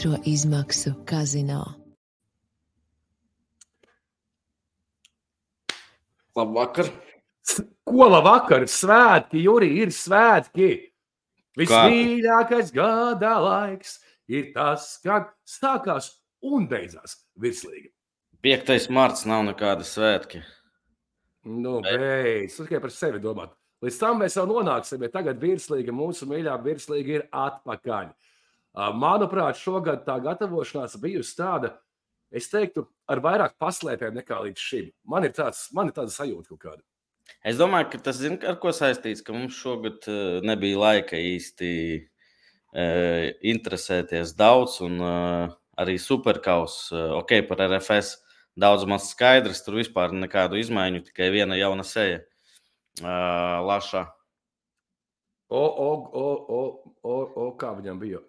otro izmaksu kazino. Labvakar. Ko labvakar? Svētki, Juri, ir svētki. Vismīļākais gada laiks ir tas, kad sākās un beidzās virslīga. 5. marts nav nekāda svētki. Nu, beidz, tikai par sevi domāt. Līdz tam mēs jau nonāksim, bet tagad virslīga, mūsu mīļā virslīga ir atpakaļ. Manuprāt, šogad tā gatavošanās bijusi tāda, es teiktu, ar vairāk paslēpēm nekā līdz šim. Man ir tāda sajūta kaut kāda. Es domāju, ka tas zina, ar ko saistīts, ka mums šogad nebija laika īsti interesēties daudz, un arī Superkaus, par RFS daudz maz skaidrs, tur vispār nekādu izmaiņu, tikai viena jauna seja. Laša. Kā viņam bija?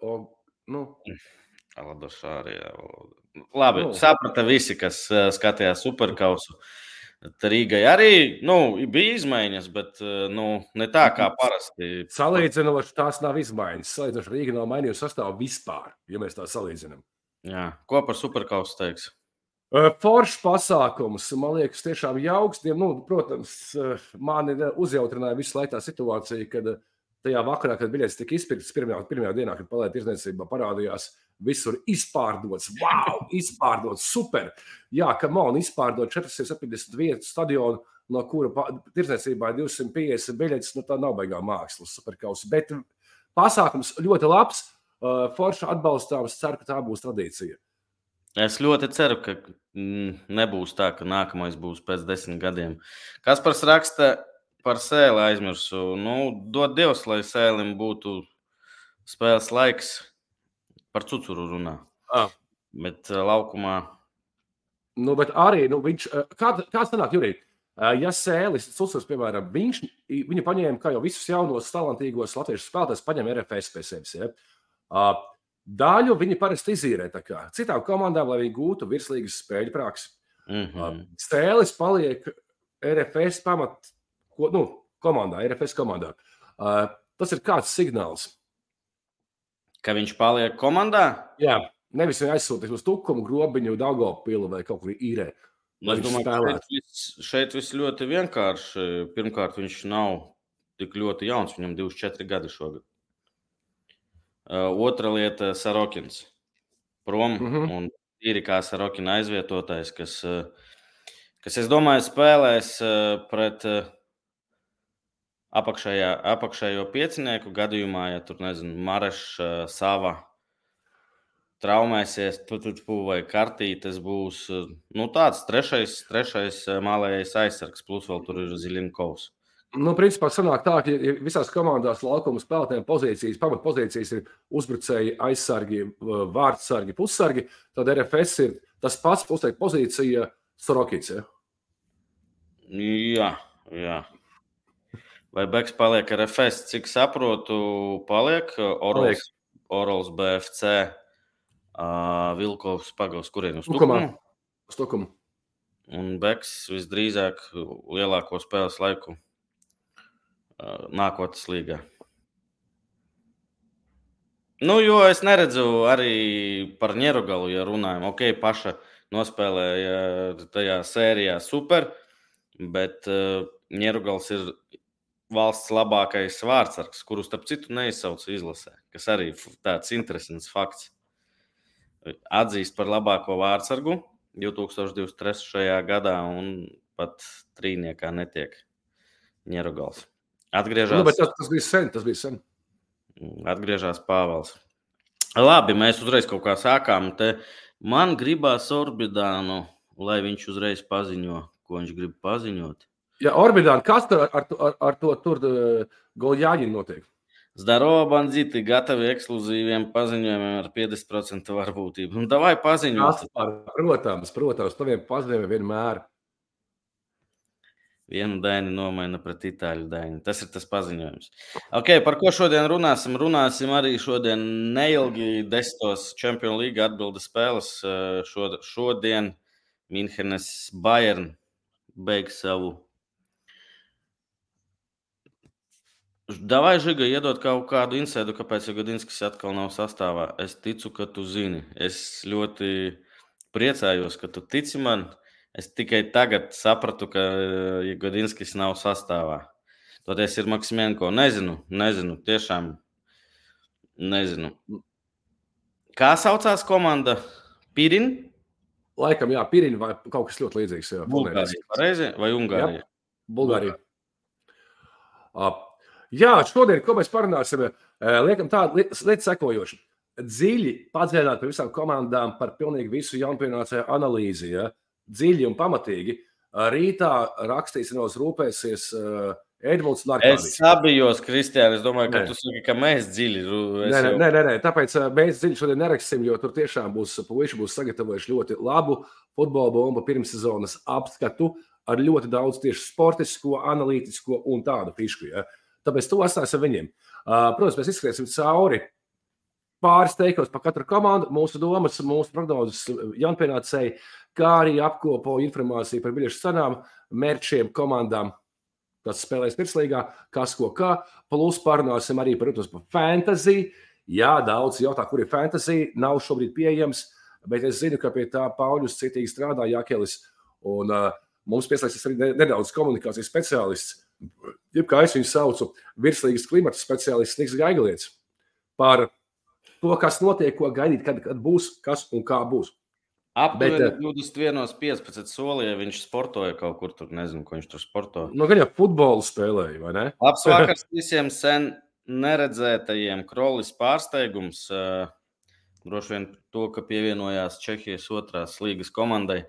Aladošārija. Labi, saprata visi, kas skatījās Superkausu. Rīgai arī bija izmaiņas, bet ne tā kā parasti. Salīdzinoši tās nav izmaiņas. Salīdzinoši Rīga nav mainījusi sastāvu vispār, ja mēs tā salīdzinām. Jā. Ko par Superkausu teiks? Foršs pasākums, man liekas, tiešām jauks. Protams, mani uzjautrināja visu laiku tā situācija, kad tajā vakarā, kad biļetes tika izpirktas pirmajā dienā, kad palēta tirdzniecībā parādījās, visur izpārdots. Wow, izpārdots, super! Jā, kamon, izpārdot 470 vietu stadionu, no kura tirdzniecībā ir 250 biļetes, tā nav baigā mākslas Superkausa. Bet pasākums ļoti labs, forši atbalstāms, ceru, ka tā būs tradīcija. Es ļoti ceru, ka nebūs tā, ka nākamais būs pēc 10 gadiem. Kaspars raksta par Sēli aizmirsu. Dod Dievs, lai Sēlim būtu spēles laiks. Par Cucuru runā. Bet laukumā... Bet arī, viņš... Kāds sanāk, Jurī? Ja Sēlis, Cucurs, piemēram, viņu paņēma, kā jau visus jaunos, talantīgos latviešu spēlētājus, paņem RFS pie sevis, ja? Daļu viņi parasti izīrē tā kā citām komandām, lai viņi gūtu virslīgas spēļu praksi. Sēlis paliek RFS komandā, RFS komandā. Tas ir kāds signāls? Ka viņš paliek komandā? Jā, nevis viņa aizsūtīs uz Tukumu, Grobiņu, Daugopilu vai kaut kur īrē. Es domāju, šeit viss ļoti vienkārši. Pirmkārt, viņš nav tik ļoti jauns, viņam 24 gadi šogad. Otra lieta - Sarokins. Prom un ir kā Sarokina aizvietotājs, kas, es domāju, spēlēs pret apakšējo piecinieku gadījumā, ja tur, Marešs, Sava traumēsies, vai Kartītes būs, tāds trešais mālējais aizsargs, plus vēl tur ir Zilinkovs. Principā sanāk tā, ka visās komandās laukuma spēlētājiem pozīcijas, pamatpozīcijas ir uzbrucēji, aizsargi, vārdsargi, pussargi, tad RFS ir tas pats pozīcija Sorokits, ja? Jā. Vai Beks paliek RFS? Cik saprotu, paliek Orols BFC, Vilkovs Pagavs, kurien uz Tukumu? Uz Tukumu. Un Beks visdrīzāk lielāko spēles laiku nākotnes līgā. Jo es neredzu arī par Ņerugalu, ja runājam. Paša nospēlēja tajā sērijā super, bet Ņerugals ir valsts labākais vārdsargs, kuru starp citu neizsauc izlasē, kas arī tāds interesants fakts. Atzīst par labāko vārdsargu 2023. gadā un pat trīniekā netiek Ņerugals. Atgriežas. Tas bija sen. Atgriežas Pāvels. Labi, mēs uzreiz kaut kā sākām. Man gribās Orbidānu, lai viņš uzreiz paziņo, ko viņš grib paziņot. Ja Orbidānu, kas ar to tur Goljāņi notiek? Zdarova bandzīti, gatavi ekskluzīviem paziņojumiem ar 50% varbūtību. Davai paziņot. Protams, taviem paziņojumiem vienmēr. Vienu daini nomaina pret itāļu daini. Tas ir tas paziņojums. Par ko šodien runāsim? Runāsim arī šodien neilgi 10. Champions League atbildes spēles. Šodien Minhenes Bayern beigs savu Davai, Žiga, iedot kaut kādu insēdu, kāpēc Jagodinskis atkal nav sastāvā. Es ticu, ka tu zini. Es ļoti priecājos, ka tu tici man. Es tikai tagad sapratu, ka Jagodinskis nav sastāvā. Toties ir Maksimenko. Nezinu, tiešām nezinu. Kā saucās komanda? Pirin? Laikam, jā, Pirin vai kaut kas ļoti līdzīgs. Jā, Bulgārija, pareizi? Vai Ungārija? Jā, Bulgārija. Jā, šodien, ko mēs parunāsim, liekam tādu lietu sekojošu. Dziļi padziļināt par visām komandām, par pilnīgi visu jaunpienācēju analīzi, ja? Dziļi un pamatīgi. Rītā rakstīsinos rūpēsies Edmunds un Arkādijs. Es sabijos, Kristiāni, es domāju, ka tu saki, ka mēs dziļi. Nē, tāpēc mēs dziļi šodien neraksim, jo tur tiešām puiši būs sagatavojuši ļoti labu futbola bombu pirmssezonas apskatu ar ļoti daudz tieši sportisko, analītisko un tādu fišku, ja? Tāpēc to atstāsim viņiem. Protams, mēs izskriesim cauri pāris teikos par katru komandu, mūsu domas, mūsu prognozes jaunpienācēji, kā arī apkopo informāciju par biļešu cenām, mērķiem, komandām, kas spēlēs pirmslīgā, kas ko kā. Plus parunāsim arī, protams, par fantasy. Jā, daudz jautā, kur ir fantasy, nav šobrīd pieejams, bet es zinu, ka pie tā Pauļus citīgi strādā Jākelis, un mums pieslēgsies arī nedaudz komunikācijas speciālists, jeb kā es viņu saucu, virslīgas klimata speciālists Niks Gaigalietis, par to, kas notiek, ko gaidīt, kad būs, kas un kā būs. Aptuveni 21.15 solīja, viņš sportoja kaut kur tur, nezinu, ko viņš tur sportoja. Nu, gan jau futbolu spēlēja, vai ne? Labs vakars visiem sen neredzētajiem. Krolis pārsteigums, droši vien to, ka pievienojās Čehijas otrās līgas komandai.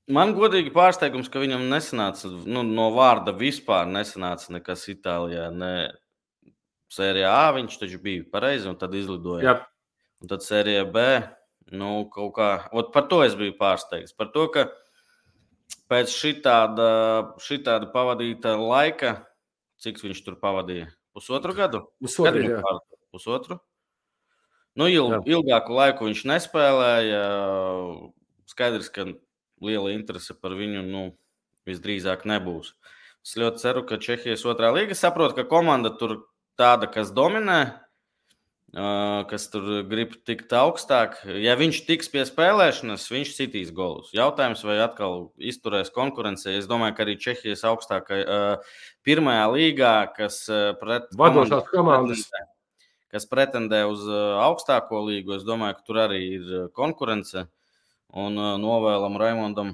Man godīgi pārsteigums, ka viņam nesanāca, no vārda vispār nesanāca nekas Itālijā, ne sērijā A, viņš taču bija pareizi un tad izlidoja. Jā. Un tad sērijā B, kaut kā, par to es biju pārsteigts. Par to, ka pēc šitāda pavadīta laika, cik viņš tur pavadīja? Pusotru gadu? Pusotru? Ilgāku laiku viņš nespēlēja. Skaidrs, ka liela interese par viņu, visdrīzāk nebūs. Es ļoti ceru, ka Čehijas otrā līga saprot, ka komanda tur tāda, kas dominē, kas tur grib tikt augstāk. Ja viņš tiks pie spēlēšanas, viņš sitīs golus. Jautājums, vai atkal izturēs konkurencē. Es domāju, ka arī Čehijas augstākā pirmajā līgā, kas vadošās komandas, kas pretendē uz augstāko līgu, es domāju, ka tur arī ir konkurence. Un novēlam Raimondam,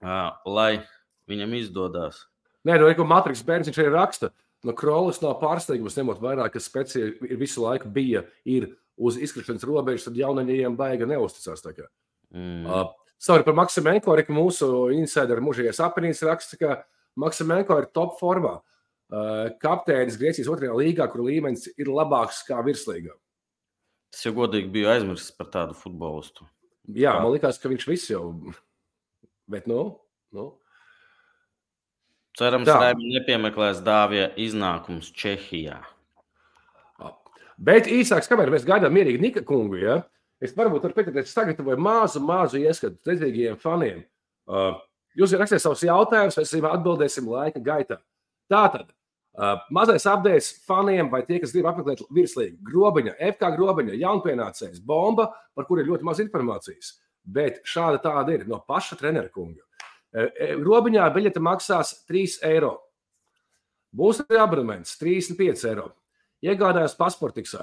lai viņam izdodās. Nē, ko Matriks Bērns viņš arī raksta. Krolis nav pārsteigums, ņemot vairāk, ka Specija ir visu laiku ir uz izkrišanas robežas, tad jaunaņiem baiga neusticās. Savukārt par Maksimenko, arī mūsu insideru mužīgais aprinīs raksta, ka Maksimenko ir top formā. Kapteinis Grieķijas otrajā līgā, kur līmenis ir labāks kā virslīgā. Tas jau godīgi bija aizmirsts par tādu futbolistu. Jā, man likās, ka viņš viss jau, bet Cerams, Raimi nepiemeklēs Dāvija iznākums Čehijā. Bet īsāks, kamēr mēs gaidām mierīgi Nika kungu, ja? Es varbūt varu pieteikties, sagatavoju mazu ieskatu dedzīgajiem faniem. Jūs rakstiet savus jautājumus, mēs atbildēsim laika gaitā. Tātad, mazais updates faniem vai tie, kas grib apmeklēt virslīgu. Grobiņa, FK Grobiņa, jaunpienācējs, bomba, par kur ir ļoti maz informācijas. Bet šāda tāda ir no paša trenera kunga. Grobiņā biļete maksās 3 eiro. Būs arī abonements 35 eiro. Iegādājās Pasportiksā.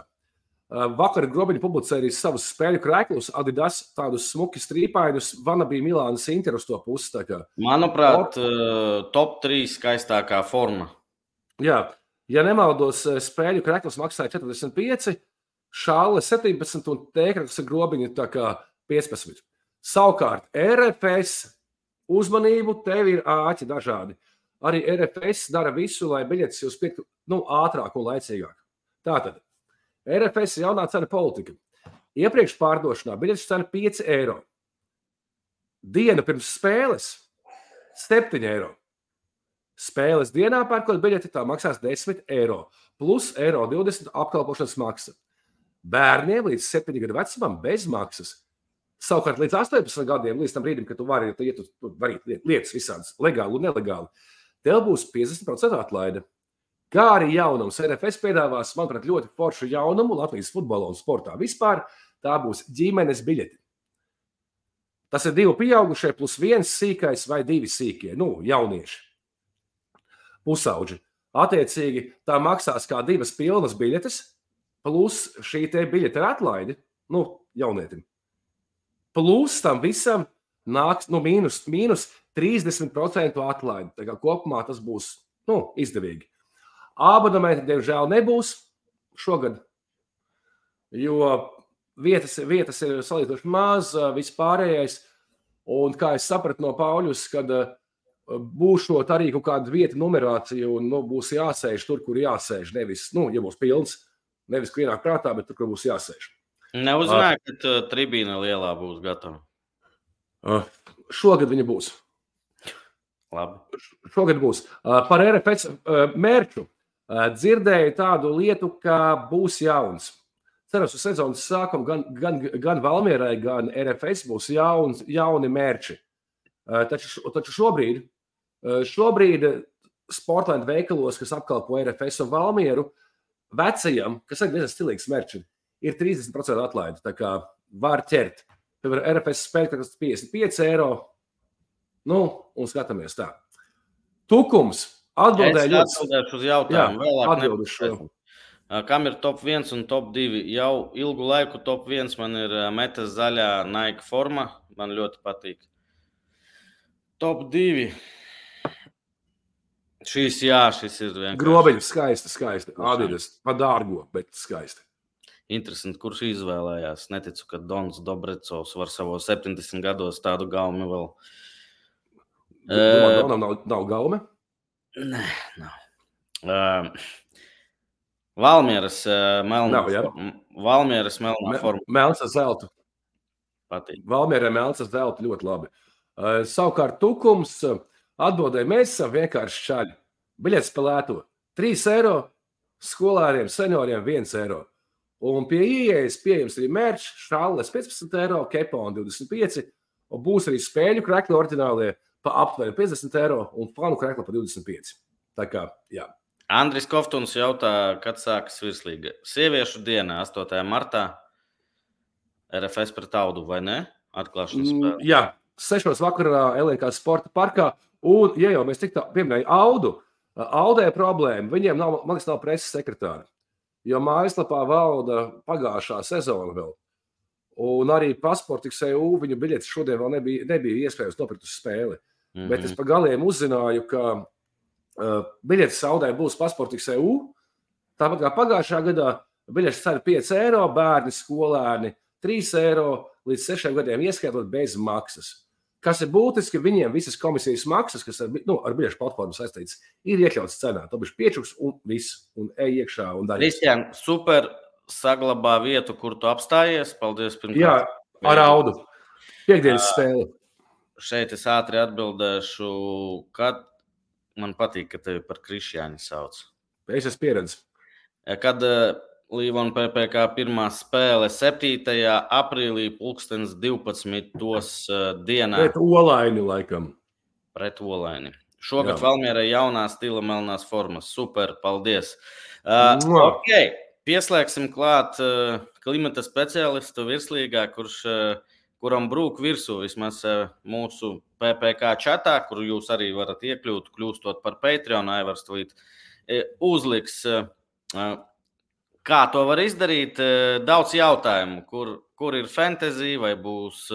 Vakar Grobiņa publicēja arī savus spēļu krēklus, Adidas, tādus smuki strīpainus, Vanabī Milānas Inter uz to pusi. Manuprāt, top 3 skaistākā forma. Jā, ja nemaldos, spēļu krēklus maksāja 45, šāle 17 un tēkraklis Grobiņa 15. Savukārt RFS uzmanību, tev ir āķi dažādi. Arī RFS dara visu, lai biļetes jūs pirktu ātrāk un laicīgāk. Tātad, RFS jaunā cena politika. Iepriekš pārdošanā biļetes cena 5 eiro. Diena pirms spēles 7 eiro. Spēles dienā pērkot biļeti tā maksās 10 eiro. Plus eiro 20 apkalpošanas maksa. Bērniem līdz 7 gadu vecumam bez maksas. Savukārt līdz 18 gadiem, līdz tam brīdim, kad tu vari darīt lietas visādas legāli un nelegāli, tev būs 50% atlaide. Kā arī jaunums. RFS piedāvās, manuprāt, ļoti foršu jaunumu Latvijas futbolā un sportā. Vispār tā būs ģimenes biļeti. Tas ir 2 pieaugušie plus 1 sīkais vai 2 sīkie, jaunieši, pusauģi. Attiecīgi, tā maksās kā 2 pilnas biļetes, plus šī te biļete ar atlaidi, jaunietim. Plus tam visam nāks, mīnus 30% atlaidi. Tā kā kopumā tas būs, izdevīgi. Abonementi, diemžēl, nebūs šogad, jo vietas ir salīdzinoši maz, vispārējais. Un kā es sapratu no Pauļus, kad būšot arī kaut kāda vieta numerācija un būs jāsēž tur, kur jāsēž. Nevis, ja būs pilns, nevis, kur ienāk prātā, bet tur, kur būs jāsēž. Neuzzināju, ka tribīna lielā būs gatava. Šogad viņa būs. Labi. Šogad būs. Par RFS mērķu. Dzirdēju tādu lietu, ka būs jauns. Cerams, uz sezonas sākuma gan Valmierai, gan RFS būs jauni mērķi. Taču šobrīd Sportland veikalos, kas apkalpo RFS un Valmieru, vecajam, kas ir diezgan stilīgs mērķi, ir 30% atlaide. Tā kā var ķert. Piemēram, RFS spēļ, kas 55 eiro. Un skatāmies tā. Tukums. Atbildēšu uz jautājumu. Atbildēšu. Kam ir top 1 un top 2? Jau ilgu laiku top 1 man ir metas zaļā Nike forma. Man ļoti patīk. Top 2. Šis ir vienkārši. Grobeļi skaisti. Adidas pa dārgo, bet skaisti. Interesanti, kurš izvēlējās. Neticu, ka Dons Dobrecovs var savos 70 gados tādu gaumi vēl. Donam nav gaume? Nē, nav. Valmieras melnā forma. Melns ar zeltu. Patīk. Valmierai melns ar zeltu ļoti labi. Savukārt tukums atbildēja, mēs esam vienkārši šaļi. Biļetes spēlēto 3 eiro, skolāriem, senioriem 1 eiro. Un pie ieejas pieejams arī mērķis, šalles 15 eiro, keponi 25, un būs arī spēļu krekli oriģinālie pa aptuveni 50 eiro un fanu krekli pa 25. Tā kā, jā. Andris Koftuns jautā, kad sākas virslīga. Sieviešu dienā, 8. martā, RFS pret Audu, vai ne? Atklāšanas spēle. Jā, 6. vakarā LNK sporta parkā. Un, ja jau mēs tik tā pieminēju Audu, Audē problēma, viņiem nav, man liekas, nav preses sekretāri. Jo mājaslapā valda pagājušā sezona vēl. Un arī Pasports.eu viņu biļetes šodien vēl nebija iespējams nopirkt uz spēli. Bet es pa galiem uzzināju, ka biļetes Audē būs Pasports.eu. Tāpat kā pagājušā gadā biļetes cena 5 eiro, bērni, skolēni 3 eiro līdz 6 gadiem ieskaitot bez maksas. Kas ir būtiski, viņiem visas komisijas maksas, kas ar biļešu platformu saistītas, ir iekļauts cenā. Tā bija piečuks un viss, un ej iekšā un daļas. Kristian, super saglabā vietu, kur tu apstājies. Paldies pirmkārt. Jā, ar Audu. Piektdienas spēle. Šeit es ātri atbildēšu, kad man patīk, ka tevi par Krišjāni sauc. Es esmu pieredzi. Kad Līvona PPK pirmā spēle 7. aprīlī 12. dienā. Pret Olaini, laikam. Pret Olaini. Šogad Valmierai jaunā stila melnās formas. Super, paldies. Ok, pieslēgsim klāt klimata speciālistu virslīgā, kuram brūk virsū vismaz mūsu PPK čatā, kuru jūs arī varat iekļūt, kļūstot par Patreon, Aivars Tvīt uzliks. Kā to var izdarīt? Daudz jautājumu, kur ir fantasy, vai būs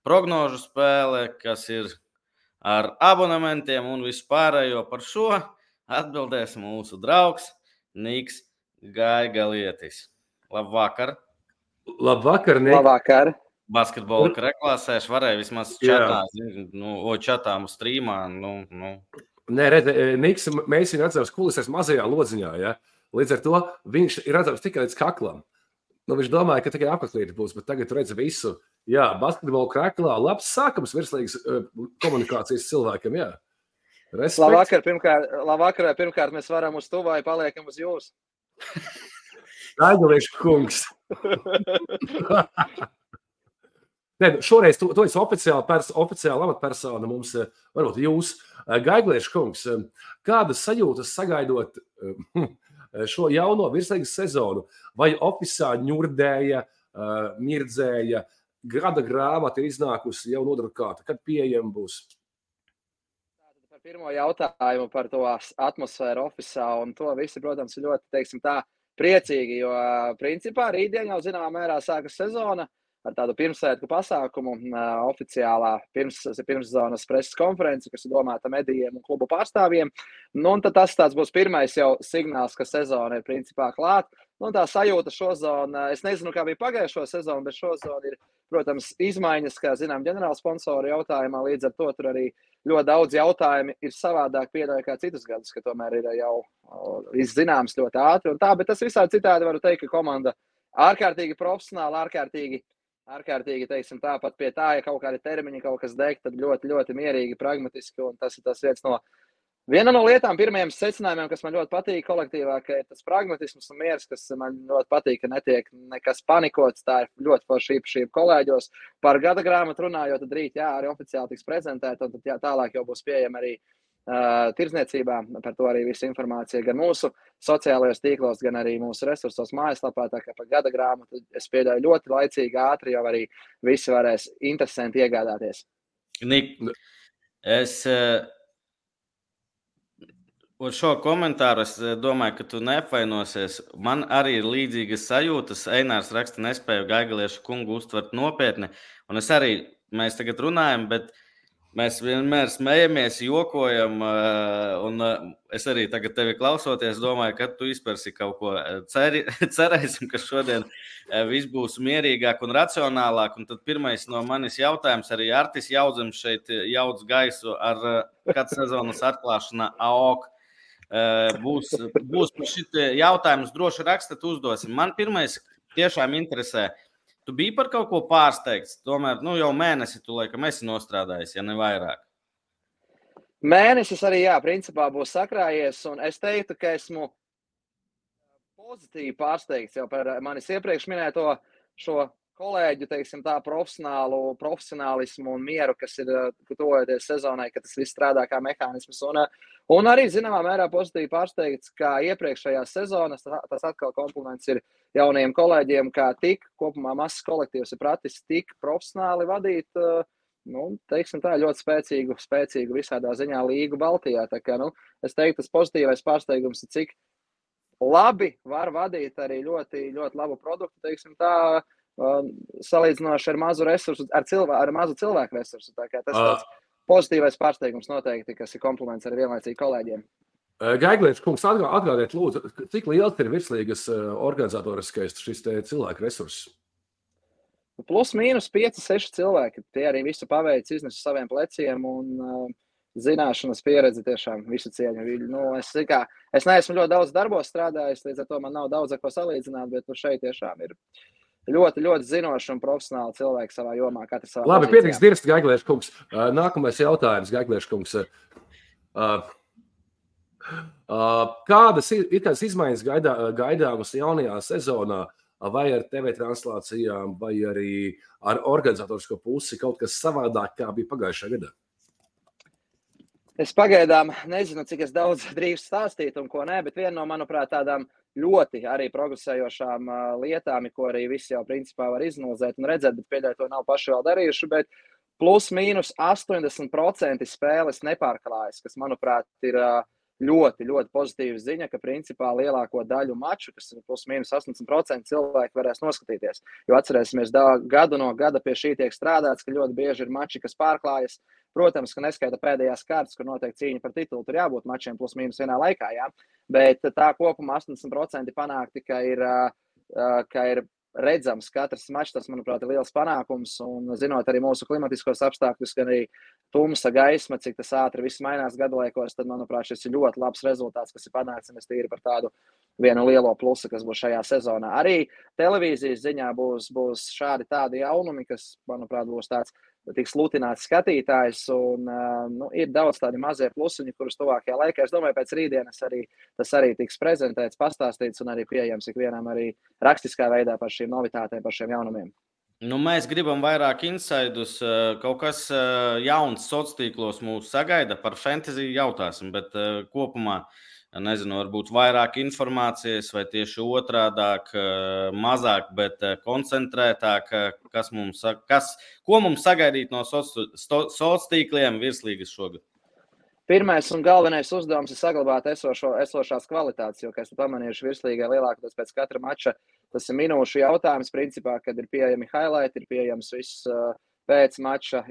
prognožu spēle, kas ir ar abonementiem un vispārējo. Par šo atbildēs mūsu draugs Niks Gaigalietis. Labvakar! Labvakar, Nik! Labvakar! Basketbola reklāsēšu varēja vismaz čatā, čatā uz strīmā. Nē, redz, Niks, mēs viņu redzam kulisēs mazajā lodziņā, ja? Līdz ar to viņš ir redzams tikai līdz kaklam. Viņš domāja, ka tikai apaklīti būs, bet tagad redz visu. Jā, basketbola kreklā labs sākums virslīgas komunikācijas cilvēkam, jā. Respekt. Labvakar, pirmkārt mēs varam uz to vai paliekam uz jūs. Gaigaliešu kungs. Ne, šoreiz tu esi oficiāli amatpersona mums, varbūt jūs, Gaiglieša kungs, kādas sajūtas sagaidot šo jauno virslīgas sezonu? Vai ofisā ņurdēja, mirdzēja, gada grāmata ir iznākusi jau nodrukāta, kad pieejama būs? Par pirmo jautājumu par to atmosfēru ofisā, un to visi, protams, ir ļoti, teiksim tā, priecīgi, jo principā rītdien jau zināmā mērā sākas sezona ar tādu pirmsvētku pasākumu, oficiālā pirmszonas preses konferenci, kas ir domāta medijiem un klubu pārstāvjiem. Nu, un tad tas būs pirmais jau signāls, ka sezona ir principā klāt. Nu, tā sajūta šozona, es nezinu, kā bija pagājušo sezonu, bet šozona ir, protams, izmaiņas, kā zinām, ģenerāla sponsoru jautājumā, līdz ar to tur arī ļoti daudz jautājumi ir savādāk pieļauj kā citus gadus, ka tomēr ir jau viss zināms ļoti ātri un tā, bet tas visādi citādi varu teikt, ka komanda ārkārtīgi profesionāli, ārkārtīgi, teiksim, tāpat pie tā, ja kaut kādi termiņi, kaut kas degt, tad ļoti, ļoti mierīgi, pragmatiski, un tas ir tas viena no lietām, pirmajiem secinājumiem, kas man ļoti patīk kolektīvā, ka ir tas pragmatisms un miers, kas man ļoti patīk, ka netiek nekas panikots, tā ir ļoti forša īpašība kolēģos. Par gada grāmatu runājot, tad rīt, arī oficiāli tiks prezentēta, un tad tālāk jau būs pieejama arī tirdzniecībā, par to arī visa informācija gan mūsu sociālajos tīklos, gan arī mūsu resursos mājaslapā, tā kā par gada grāmatu es pieļauju ļoti laicīgi, ātri, jau arī visi varēs interesanti iegādāties. Nik, es ar šo komentāru es domāju, ka tu neapvainosies. Man arī ir līdzīgas sajūtas. Einārs raksta, nespēju Gaigaliešu kungu uztvert nopietni, un mēs tagad runājam, bet mēs vienmēr smejamies, jokojam, un es arī tagad tevi klausoties, domāju, ka tu izpersi kaut ko. Cerēsim, ka šodien viss būs mierīgāk un racionālāk, un tad pirmais no manis jautājums, arī Artis Jaudzem šeit jaudz gaisu ar kad sezonas atklāšanā AOK. Būs šitie jautājums droši rakstat uzdosim. Man pirmais tiešām interesē. Tu biji par kaut ko pārsteigts, tomēr jau mēnesi tu laikam esi nostrādājis, ja ne vairāk. Mēnesis arī, principā būs sakrājies, un es teiktu, ka esmu pozitīvi pārsteigts jau par manis iepriekš minēto šo kolēģu, teiksim tā, profesionālismu un mieru, kas ir tuvojoties sezonai, ka tas viss strādā kā mehānisms. Un arī, zināmā mērā, pozitīvi pārsteigts, kā iepriekšējās sezonas, tas atkal kompliments ir jaunajiem kolēģiem, kā tik kopumā mazs kolektīvs ir pratis tik profesionāli vadīt, teiksim tā, ļoti spēcīgu visādā ziņā līgu Baltijā. Tā kā, es teiktu, tas pozitīvais pārsteigums ir, cik labi var vadīt arī ļoti, ļoti labu produktu, teiksim tā, salīdzinoši ar mazu resursu, ar mazu cilvēku resursu. Tā kā tas tāds pozitīvais pārsteigums noteikti, kas ir kompliments arī vienlaicīgi kolēģiem. Gaiglieša kungs, atgādiet lūdzu, cik liels ir virslīgas organizatoriskais šis cilvēku resurss? Plus mīnus 5-6 cilvēki. Tie arī visu paveic, iznes uz saviem pleciem un zināšanas pieredzi tiešām visu cieņu. Es neesmu ļoti daudz darbos strādājis, līdz ar to man nav daudz ar ko salīdzināt, bet šeit tiešām ir ļoti, ļoti zinoši un profesionāli cilvēki savā jomā. Labi, pietiks dirst, Gaiglieša kungs. Nākamais jautājums, Gaiglieša kungs. Kādas ir kādas izmaiņas gaidāmas jaunajā sezonā, vai ar TV translācijām, vai arī ar organizatorisko pusi kaut kas savādāk, kā bija pagājušā gadā? Es pagaidām nezinu, cik es daudz drīkstu stāstīt un ko nē, bet viena no, manuprāt, tādām ļoti arī progresējošām lietām, ko arī visi jau principā var iznozēt un redzēt, bet pēdējā to nav paši vēl darījuši, bet plus mīnus 80% spēles nepārklājas, kas, manuprāt, ir ļoti, ļoti pozitīva ziņa, ka principā lielāko daļu maču, kas ir plus mīnus 80% cilvēki varēs noskatīties. Jo atcerēsimies, gadu no gada pie šī tiek strādāts, ka ļoti bieži ir mači, kas pārklājas. Protams, ka neskaita pēdējās kārtas, kur notiek cīņa par titulu, tur jābūt mačiem plus mīnus vienā laikā, bet tā kopumā 80% panākti, ka ir redzams katrs mačs, tas, manuprāt, ir liels panākums, un zinot arī mūsu klimatiskos apstākļus, gan arī tumsa gaisma, cik tas ātri viss mainās gadlaikos, tad, manuprāt, šis ir ļoti labs rezultāts, kas ir panākts, un es tīri par tādu vienu lielo plusu, kas būs šajā sezonā. Arī televīzijas ziņā būs šādi tādi jaunumi, kas, manuprāt, būs tāds tiks lutināts skatītājs, un ir daudz tādi mazie plusiņi, kurus tuvākajā laikā, es domāju, pēc rītdienas tas arī tiks prezentēts, pastāstīts un arī pieejams ikvienam arī rakstiskā veidā par šīm novitātēm, par šiem jaunumiem. Nu, mēs gribam vairāk insaidus, kaut kas jauns sociālos tīklos mūs sagaida, par fantasy jautāsim, bet kopumā, nezinu, varbūt vairāk informācijas vai tieši otrādāk, mazāk, bet koncentrētāk, ko mums sagaidīt no sociālos tīkliem virslīgas šogad? Pirmais un galvenais uzdevums ir saglabāt esošās kvalitātes, jo, kā esmu pamanījuši, virslīgai lielākoties pēc katra mača, tas ir minūšu jautājums, principā, kad ir pieejami highlight, ir pieejams viss pēc mača,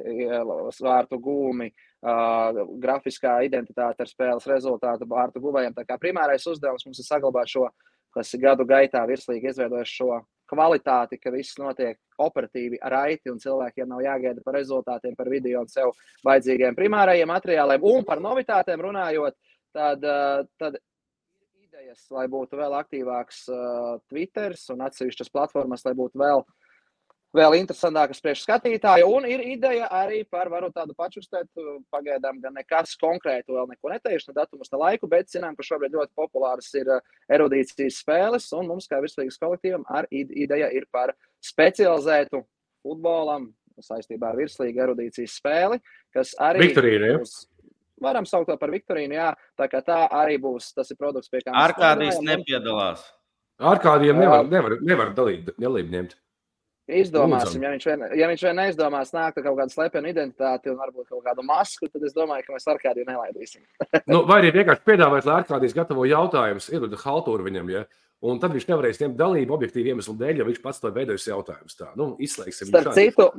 vārtu gūmi, grafiskā identitāte ar spēles rezultātu vārtu guvējiem. Tā kā primārais uzdevums mums ir saglabāt šo, kas ir gadu gaitā virslīgi izveidojuši šo kvalitāti, ka viss notiek operatīvi raiti un cilvēkiem nav jāgaida par rezultātiem, par video un sev vajadzīgiem primārajiem materiāliem. Un par novitātēm runājot, tad idejas, lai būtu vēl aktīvāks Twitters un atsevišķas platformas, lai būtu vēl interesantākas priekš skatītāju. Un ir ideja arī par, varu tādu pačurstēt, pagaidām gan nekas konkrētu vēl neko neteikšu, ne datumus, ne laiku, bet zinām, ka šobrīd ļoti populāras ir erudīcijas spēles, un mums kā virslīgas kolektīvam ideja ir par specializētu futbolam saistībā ar virslīgu erudīcijas spēli, kas arī Viktorīna, ja? Varam saukt to par Viktorīnu, jā, tā kā tā arī būs, tas ir produkts, pie kā Arkādijas nepiedalās. Arkādijiem nevar dalību ņemt. Izdomāsim, ja viņš vien neizdomās nākt ar kaut kādu slepenu identitāti un varbūt kaut kādu masku, tad es domāju, ka mēs Arkādiju nelaidīsim. Vai arī vienkārši piedāvāt, lai Arkādijas gatavo jautājumus, iedod haltūru viņam, ja? Un tad viņš nevarēs ņemt dalību objektīvi iemeslu dēļ, ja viņš pats to veidojis jautājumus. Tā, izslēgsim. Starp citu,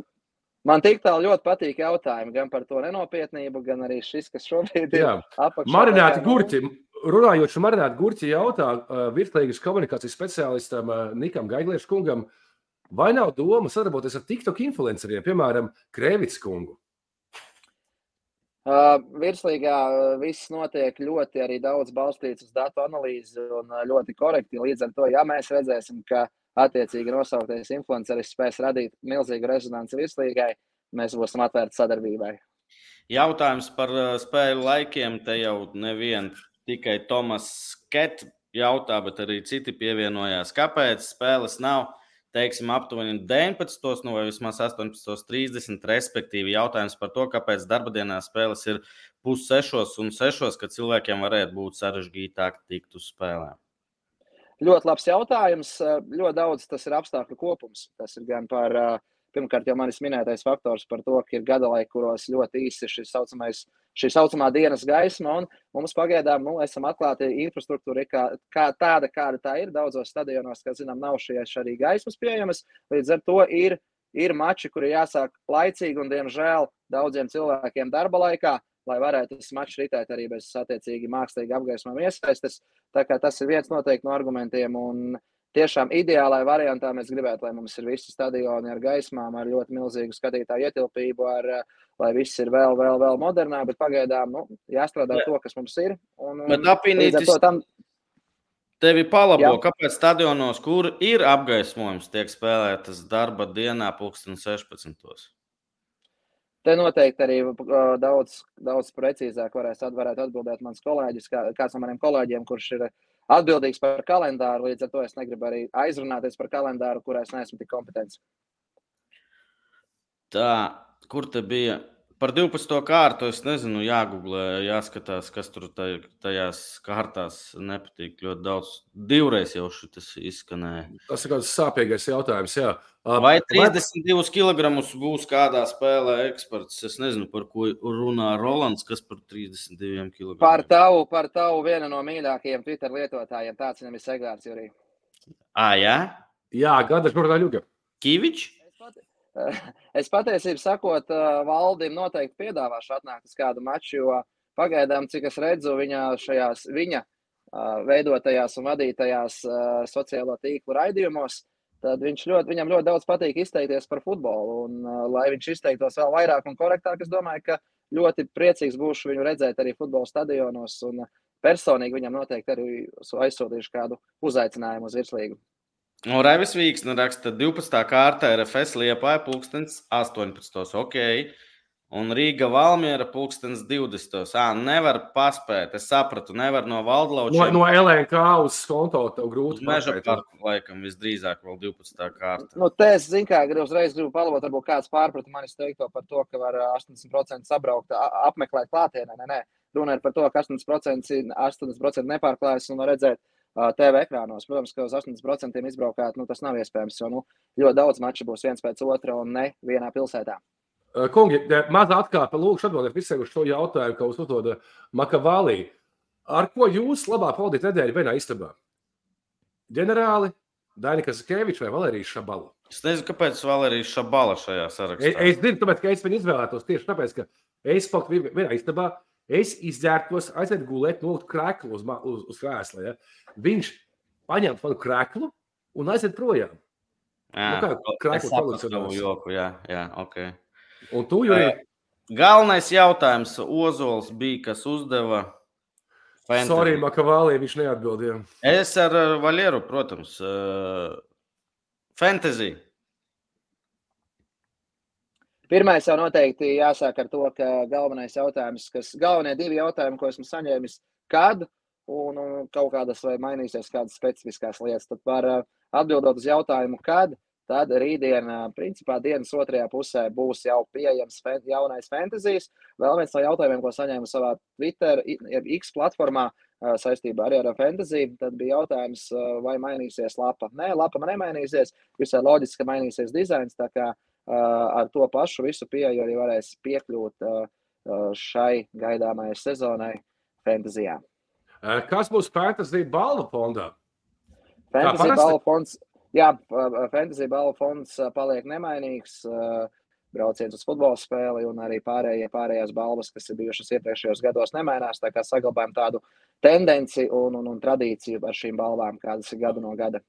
man tik tālu ļoti patīk jautājumi, gan par to nenopietnību, gan arī šis, kas šobrīd ir apakšā. Marināti gurķi. Runājot šo marināti gurķi jautā virslīgas komunikācijas speciālistam Nikam Gaigliešu kungam, vai nav doma sadarboties ar TikTok influenceriem, piemēram, Krēvits kungu? Virslīgā viss notiek ļoti arī daudz balstīts uz datu analīzi un ļoti korekti. Līdz ar to, ja mēs redzēsim, ka attiecīgi nosauktais influenceris spēs radīt milzīgu rezonanci virslīgai, mēs būsim atvērti sadarbībai. Jautājums par spēļu laikiem. Te jau nevien tikai Tomas Ket jautā, bet arī citi pievienojās. Kāpēc spēles nav, teiksim, aptuveni 19, vai vismaz 18:30, respektīvi jautājums par to, kāpēc darba dienā spēles ir 5:30 un 6:00, kad cilvēkiem varētu būt sarežģītāk tikt uz spēlēm? Ļoti labs jautājums. Ļoti daudz tas ir apstākļu kopums. Tas ir gan par, pirmkārt, jau manis minētais faktors par to, ka ir gadalaiki, kuros ļoti īsi šī saucamā dienas gaisma, un mums pagaidām esam atklāti infrastruktūra kā tāda, kāda tā ir. Daudzos stadionos, kā zinām, nav šīs arī gaismas pieejamas. Līdz ar to ir mači, kuri jāsāk laicīgi un, diemžēl, daudziem cilvēkiem darba laikā, lai varētu tas mačs ritēt arī bez attiecīgi mākslīgi apgaismām iesaistes. Tā kā tas ir viens noteikti no argumentiem, un tiešām ideālai variantā mēs gribētu, lai mums ir visi stadioni ar gaismām, ar ļoti milzīgu skatītāju ietilpību, lai viss ir vēl modernāk, bet pagaidām jāstrādā to, kas mums ir. Bet apvienītis tevi palabo, kāpēc stadionos, kur ir apgaismojums, tiek spēlētas darba dienā 16:00? Te noteikti arī daudz precīzāk varētu atbildēt mans kolēģis, kāds no maniem kolēģiem, kurš ir atbildīgs par kalendāru. Līdz ar to es negribu arī aizrunāties par kalendāru, kurā es neesmu tik kompetents. Tā, kur te bija? Par 12. kārtu es nezinu, jāgooglē, jāskatās, kas tur tajās kārtās nepatīk ļoti daudz. Divreiz jau šitas izskanēja. Tas ir kāds sāpīgais jautājums, jā. Vai 32 kilogramus būs kādā spēlē eksperts? Es nezinu, par ko runā Rolands, kas par 32 kilogramiem. Par tavu vienu no mīļākajiem Twitter lietotājiem. Tāds viņam ir Segārds Jurī. Jā? Jā, gada žurnāļuga. Kivičs? Es patiesībā sakot, Valdim noteikti piedāvāšu atnākt uz kādu maču, jo pagaidām, cik es redzu viņa veidotajās un vadītajās sociālo tīklu raidījumos, tad viņam ļoti daudz patīk izteikties par futbolu. Un, lai viņš izteiktos vēl vairāk un korektāk, es domāju, ka ļoti priecīgs būšu viņu redzēt arī futbola stadionos. Un personīgi viņam noteikti arī aizsūtīšu kādu uzaicinājumu uz virslīgu. Raivis Vīksne raksta 12. kārta RFS Liepāja 18:00. Ok. un Rīga Valmiera 2020. Nevar paspēt. Es sapratu, nevar no Valdlaučiem. No LNK uz konto tev grūti Uz Meža paspēt. parku, laikam, visdrīzāk vēl 12. kārta. Te es zinu, kā uzreiz gribu palabot, varbūt kāds pārprata manis teikto par to, ka var 80% sabraukt, apmeklēt klātienē. Nē. Runa ir par to, ka 80% nepārklājas un var redzēt TV ekrānos. Protams, ka uz 80% izbraukāt, tas nav iespējams, jo ļoti daudz maču būs viens pēc otra un ne vienā pilsētā. Kungi, maza atkāpe, lūkšu atbildēt visiem uz šo jautājumu, ka uzdod Makavālī. Ar ko jūs labāk pavadīt nedēļu vienā istabā? Ģenerāli, Daina Kazakēviča vai Valērijas Šabala? Es nezinu, kāpēc Valērijas Šabala šajā sarakstā. Es zinu, tāpēc, ka es viņu izvēlētos tieši tāpēc, ka es paliktu vienā istabā, es izģērbtos, aiziet gulēt, noliktu kreklu uz krēsla. Ja? Viņš paņemtu manu kreklu un aiziet projām. Es sapratu tavu joku, jā, ok. Un tu, Jurij? Galvenais jautājums Ozols bija, kas uzdeva fantasy. Sorry, Makavālī, viņš neatbildīja. Es ar Valieru, protams. Fantasy. Pirmais jau noteikti jāsāk ar to, ka galvenais jautājums, galvenie divi jautājumi, ko esmu saņēmis, kad un kaut kādas vai mainīsies kādas specifiskās lietas. Tad var atbildot uz jautājumu, kad. Tad rītdien, principā, dienas otrajā pusē būs jau pieejams jaunais fantasijas. Vēl viens no jautājumiem, ko saņēmu savā Twitter, X platformā saistībā arī ar fantasy, tad bija jautājums, vai mainīsies lapa. Nē, lapa nemainīsies, visai loģiski, ka mainīsies dizains, tā kā ar to pašu visu pieeju arī varēs piekļūt šai gaidāmajai sezonai fantasijā. Kas būs fantasy balvu fondā? Fantasy balvu fonds. Jā, fantasy balvu fonds paliek nemainīgs, brauciens uz futbola spēli un arī pārējās balvas, kas ir bijušas iepriekšējos gados, nemainās, tā kā saglabājam tādu tendenci un tradīciju ar šīm balvām, kādas ir gadu no gada.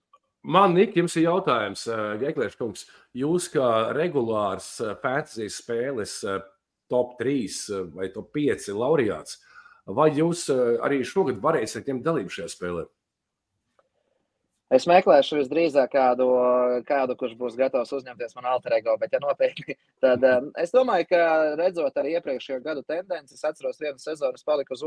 Man, Nik, jums ir jautājums, Geklēš kungs, jūs kā regulārs fantasy spēles top 3 vai top 5 laureāts, vai jūs arī šogad varēsiet ņemt dalību šajā spēlē? Es meklēšu visdrīzāk kādu, kurš būs gatavs uzņemties man alter ego, bet ja noteikti, tad es domāju, ka redzot arī iepriekšējo gadu tendenci, es atceros vienu sezonu, es paliku uz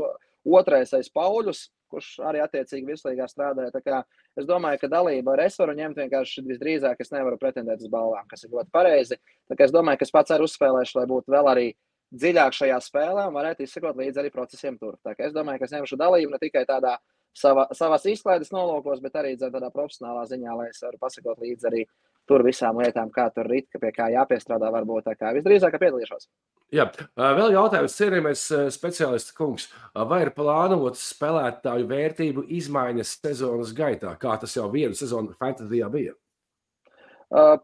otrais aiz Pauļus, kurš arī attiecīgi virslīgā strādāja, tā kā es domāju, ka dalība ar es varu ņemt vienkārši visdrīzāk, es nevaru pretendēt uz balvām, kas ir ļoti pareizi, tā kā es domāju, ka es pats arī uzspēlēšu, lai būtu vēl arī dziļāk šajā spēlē un varētu izsekot līdzi arī procesiem tur. Tā kā es domāju, ka es ņemšu dalību ne tikai tādā savās izklaides nolūkos, bet arī tādā profesionālā ziņā, lai es varu pasakot līdzi arī tur visām lietām, kā tur rit, pie kā jāpiestrādā varbūt, tā kā visdrīzāk piedalīšos. Jā, vēl jautājums, cienījamies speciālists kungs, vai ir plānots spēlētāju vērtību izmaiņas sezonas gaitā, kā tas jau vienu sezonu fantasijā bija?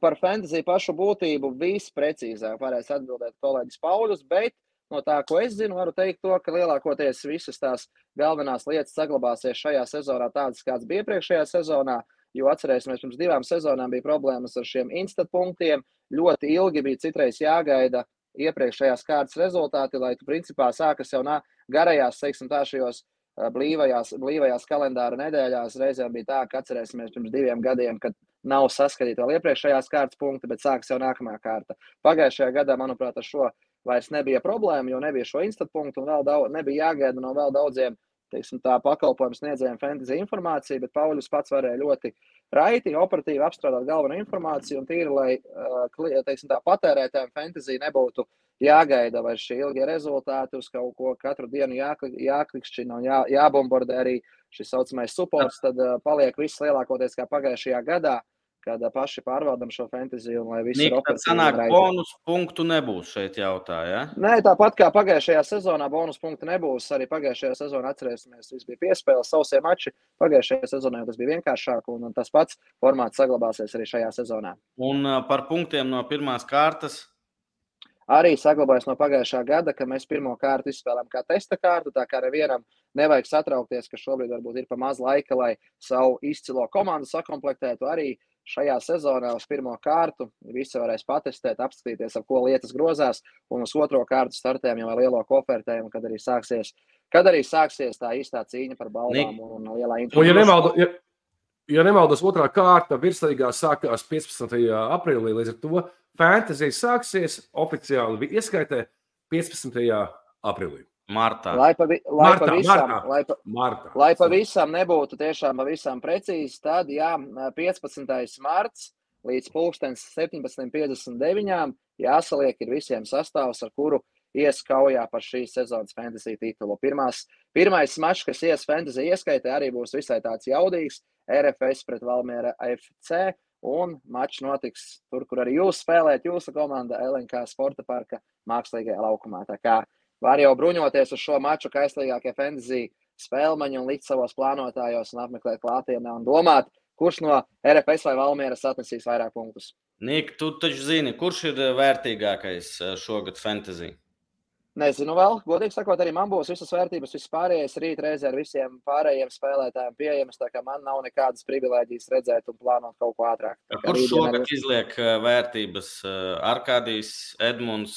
Par fantasy pašu būtību visprecīzāk varēs atbildēt kolēģis Pauļus, bet no tā, ko es zinu, varu teikt to, ka lielākoties visas tās galvenās lietas saglabāsies šajā sezonā tādas, kāds bija iepriekšējā sezonā, jo atcerēsimies, pirms 2 sezonām bija problēmas ar šiem instant punktiem, ļoti ilgi bija citreiz jāgaida iepriekšējās kārtas rezultāti, lai tu principā sākas jau garajās, teiksim tā, šajos blīvajās kalendāra nedēļās. Reizēm bija tā, ka atcerēsimies pirms 2 gadiem, kad nav saskatīta vēl iepriekšējās kārtas punkti, bet sākas jau nākamā kārta. Pagājušajā gadā, manuprāt, ar šo vairs nebija problēma, jo nebija šo instant punktu un nebija jāgaida no vēl daudziem, teiksim tā, pakalpojumu sniedzējiem fantasy informāciju, bet Pauļus pats varēja ļoti raiti, operatīvi apstrādāt galveno informāciju un tīri, lai, teiksim tā, patērētājiem fantasy nebūtu jāgaida vai šie ilgie rezultāti uz kaut ko katru dienu jāklikšķina un jābombardē arī šis saucamais supports, tad paliek viss lielākoties kā pagājušajā gadā, kad paši pārvaldam šo fantasy un lai viss ir operatīvi. Sanāk, bonus punktu nebūs šeit jautāja, ja? Nē, tāpat kā pagājušajā sezonā bonus punktu nebūs, arī pagājušajā sezonā atcerēsimies, viss bija piespēles, sausie mači, pagājušajā sezonā tas bija vienkāršāk un tas pats formāts saglabāsies arī šajā sezonā. Un par punktiem no pirmās kārtas? Arī saglabājas no pagājušā gada, ka mēs pirmo kārtu izspēlējam kā testa kārtu, tā kā nevienam nevajag satraukties, ka šobrīd varbūt ir pa maz laika, lai savu izcilo komandu sakomplektētu. Arī šajā sezonā uz pirmo kārtu visi varēs patestēt, apskatīties, ar ko lietas grozās, un uz otro kārtu startējam jau ar lielo kofertējumu, kad arī sāksies tā īstā cīņa par balvām un lielā informācija. Ja nemaldos, otrā kārta virslīgā sākās 15. aprīlī, līdz ar to fantasy sāksies oficiāli ieskaitē 15. aprīlī. Martā. Lai pavisam nebūtu tiešām pavisam precīzi, tad 15. marts līdz 17:59 jāsaliek ir visiem sastāvs, ar kuru ies kaujā par šīs sezonas fantasy titulu. Pirmais mačs, kas ies fantasy ieskaitē, arī būs visai tāds jaudīgs. RFS pret Valmiera FC, un mačs notiks tur, kur arī jūs spēlēt, jūsu komanda LNK Sporta parka mākslīgajā laukumā. Tā kā var jau bruņoties uz šo maču kaistīgākie fantasy spēlmaņi un likt savos plānotājos un apmeklēt klātienē un domāt, kurš no RFS vai Valmieras atnesīs vairāk punktus. Nik, tu taču zini, kurš ir vērtīgākais šogad fantasy? Nezinu vēl, godīgi sakot, arī man būs visas vērtības, viss pārējais rīt reizē ar visiem pārējiem spēlētājiem pieejamas, tā kā man nav nekādas privilēģijas redzēt un plānot kaut ko ātrāk. Kurš šogad izliek vērtības? Arkādijs, Edmunds,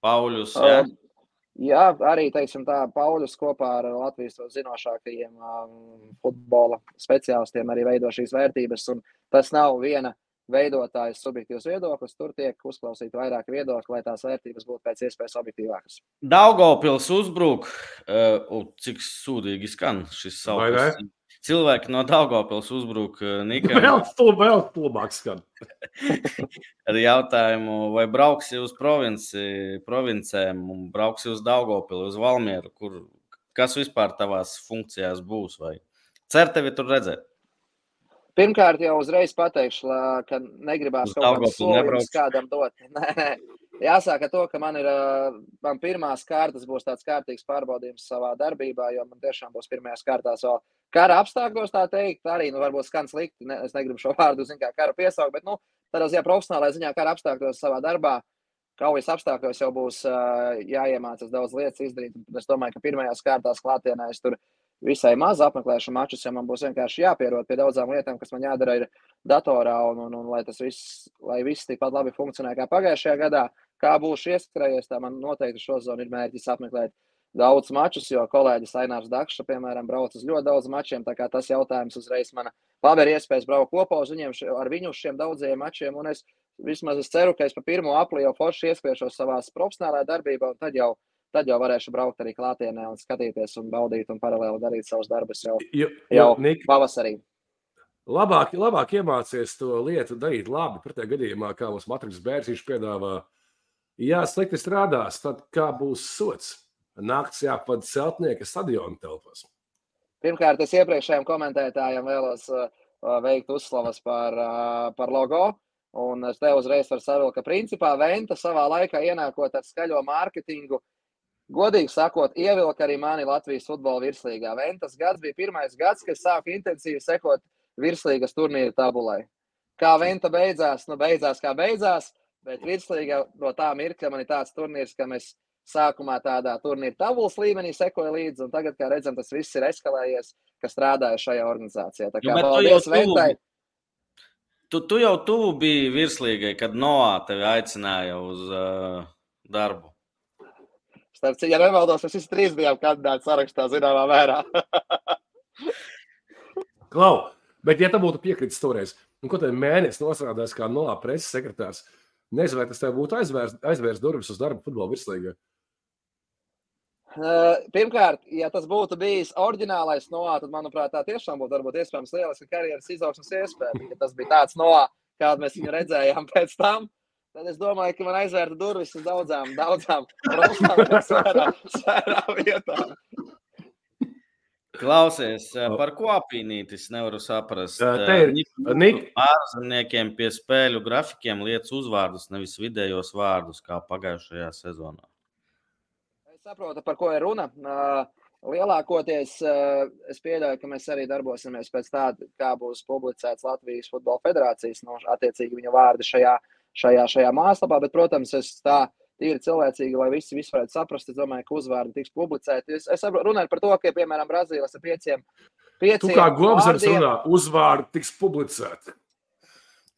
Pauļus, jā? Jā, arī, teiksim tā, Pauļus kopā ar Latvijas zinošākajiem futbola speciālistiem arī veido šīs vērtības, un tas nav viena veidotājas subjektīvs viedoklis, tur tiek uzklausīti vairāk viedokļi, lai tās vērtības būtu pēc iespējas objektīvākas. Daugavpils uzbruk, cik sūdīgi skan šis sauklis. Cilvēki no Daugavpils uzbruk Nikam. Vēl stulbāk skan. Ar jautājumu, vai brauksi uz provincēm un brauksi uz Daugavpili, uz Valmieru, kas vispār tavās funkcijās būs, vai cer tevi tur redzēt? Pirmkārt, jau uzreiz pateikšu, ka negribās kaut kādas solījumus kādam dot. Nē. Jāsāk ar to, ka man pirmās kārtas būs tāds kārtīgs pārbaudījums savā darbībā, jo man tiešām būs pirmajās kārtās vēl kara apstākļos, tā teikt, arī, varbūt skan slikti, es negribu šo vārdu, kā kara piesaukt, bet, tādā ziņā profesionālajā ziņā kara apstākļos savā darbā, kaujas apstākļos jau būs jāiemācās daudz lietas izdarīt. Es domāju, ka pirmajās kārtās klātienē es tur visai maz apmeklēšu mačus, ja man būs vienkārši jāpierod pie daudzām lietām, kas man jādara ir datorā, un lai viss tikpat labi funkcionē kā pagājušajā gadā. Kā būšu ieskrējies, tā man noteikti šo zonu ir mērķis apmeklēt daudz mačus, jo kolēģis Ainārs Dakša, piemēram, brauc uz ļoti daudz mačiem, tā kā tas jautājums uzreiz man paver iespējas braukt kopā ar viņu uz šiem daudzajiem mačiem, un es ceru, ka es pa 1. aprīli jau forši ieskriešos savās profesionālajā darbībā, un tad jau varēšu braukt arī klātienē un skatīties un baudīt un paralēli darīt savus darbus jau pavasarī. Labāk iemācies to lietu darīt labi, pretējā gadījumā, kā mums Matriks Bērziņš piedāvā. Ja slikti strādās, tad kā būs sots? Nakts jāpad celtnieka stadiona telpās. Pirmkārt, es iepriekšējiem komentētājiem vēlos veikt uzslavas par logo, un es te uzreiz varu savilkt, ka principā Venta savā laikā ienākot ar skaļo mārketingu, godīgi sakot, ievilka arī mani Latvijas futbola virslīgā. Ventas gads bija pirmais gads, kad sāku intensīvi sekot virslīgas turnīru tabulai. Kā Venta beidzās, kā beidzās, bet virslīga no tā mirkļa man ir tāds turnīrs, ka mēs sākumā tādā turnīra tabulas līmenī sekoja līdzi, un tagad, kā redzam, tas viss ir eskalējies, ka strādāja šajā organizācijā. Tā kā paldies Ventai. Tu jau tuvu biji virslīgai, kad Noā tevi aicināja uz darbu. Ja nemaldos, mēs visi 3 bijām kandidāti sarakstā zināmā mērā. Klau, bet ja tā būtu piekritis toreiz, ko tev mēnesis nosrādās kā Noā preses sekretārs, nezinu, vai tas tev būtu aizvērs durvis uz darbu futbola virslīgā? Pirmkārt, ja tas būtu bijis oriģinālais Noā, tad, manuprāt, tā tiešām būtu varbūt iespējams lieliska karjeras izaugsmes iespēja. Ja tas bija tāds Noā, kādu mēs viņu redzējām pēc tam, tad es domāju, ka man aizvērta durvis uz daudzām profesionālām svērām vietām. Klausies, par ko apīnītis nevaru saprast. Ārzemniekiem pie spēļu grafikiem liec uzvārdus, nevis vidējos vārdus, kā pagājušajā sezonā. Es saprotu, par ko ir runa. Lielākoties es pieļauju, ka mēs arī darbosimies pēc tāda, kā būs publicēts Latvijas Futbola Federācijas, attiecīgi viņa vārdi šajā mājaslapā, bet, protams, es tā tīri cilvēcīgi, lai visi varētu saprast, es domāju, ka uzvārdi tiks publicēti. Es runāju par to, ka, piemēram, Brazīlijas ar 5 Tu kā Globzars runā, uzvārdi tiks publicēti.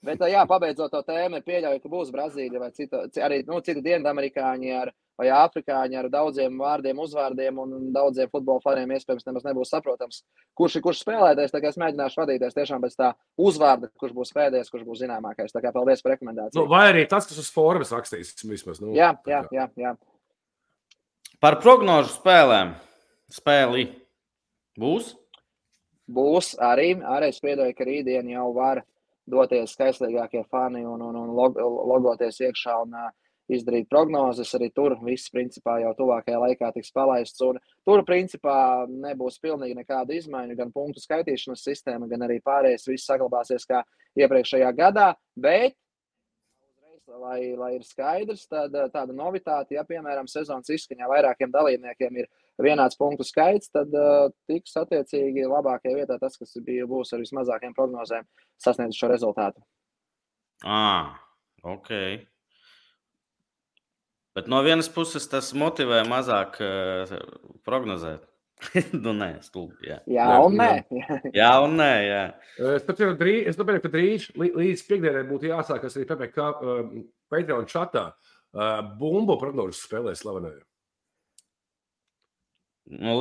Bet, pabeidzot to tēmu, ir pieļauju, ka būs Brazīlija vai citi dienvidamerikāņi vai afrikāņi ar daudziem vārdiem, uzvārdiem un daudziem futbola faniem iespējams nemaz nebūs saprotams, kurš spēlētājs. Tā kā es mēģināšu vadīties tiešām pēc tā uzvārda, kurš būs pēdējais, kurš būs zināmākais. Tā kā paldies par rekomendāciju. Vai arī tas, kas uz formas rakstīs vismaz. Jā. Par prognožu spēli būs? Būs arī es piedoju, ka rītdien jau var doties skaistīgākie fani un logoties iekšā un izdarīt prognozes. Arī tur viss principā jau tuvākajā laikā tiks palaists. Un tur principā nebūs pilnīgi nekāda izmaiņa, gan punktu skaitīšanas sistēma, gan arī pārējais viss saglabāsies kā iepriekšējā gadā. Bet, lai ir skaidrs, tad tāda novitāte, ja piemēram sezonas izskaņā vairākiem dalībniekiem ir vienāds punktu skaits, tad tiks attiecīgi labākajā vietā tas, kas būs ar vismazākiem prognozēm, sasniedz šo rezultātu. Ok. Bet no vienas puses tas motivē mazāk prognozēt. Nē, stulbi, jā. Jā un nē. Jā un nē, jā. Es domāju, ka drīz līdz piekdienai būtu jāsākas arī PPK Patreon chatā. Bumbu prognožas spēlē slavenēju.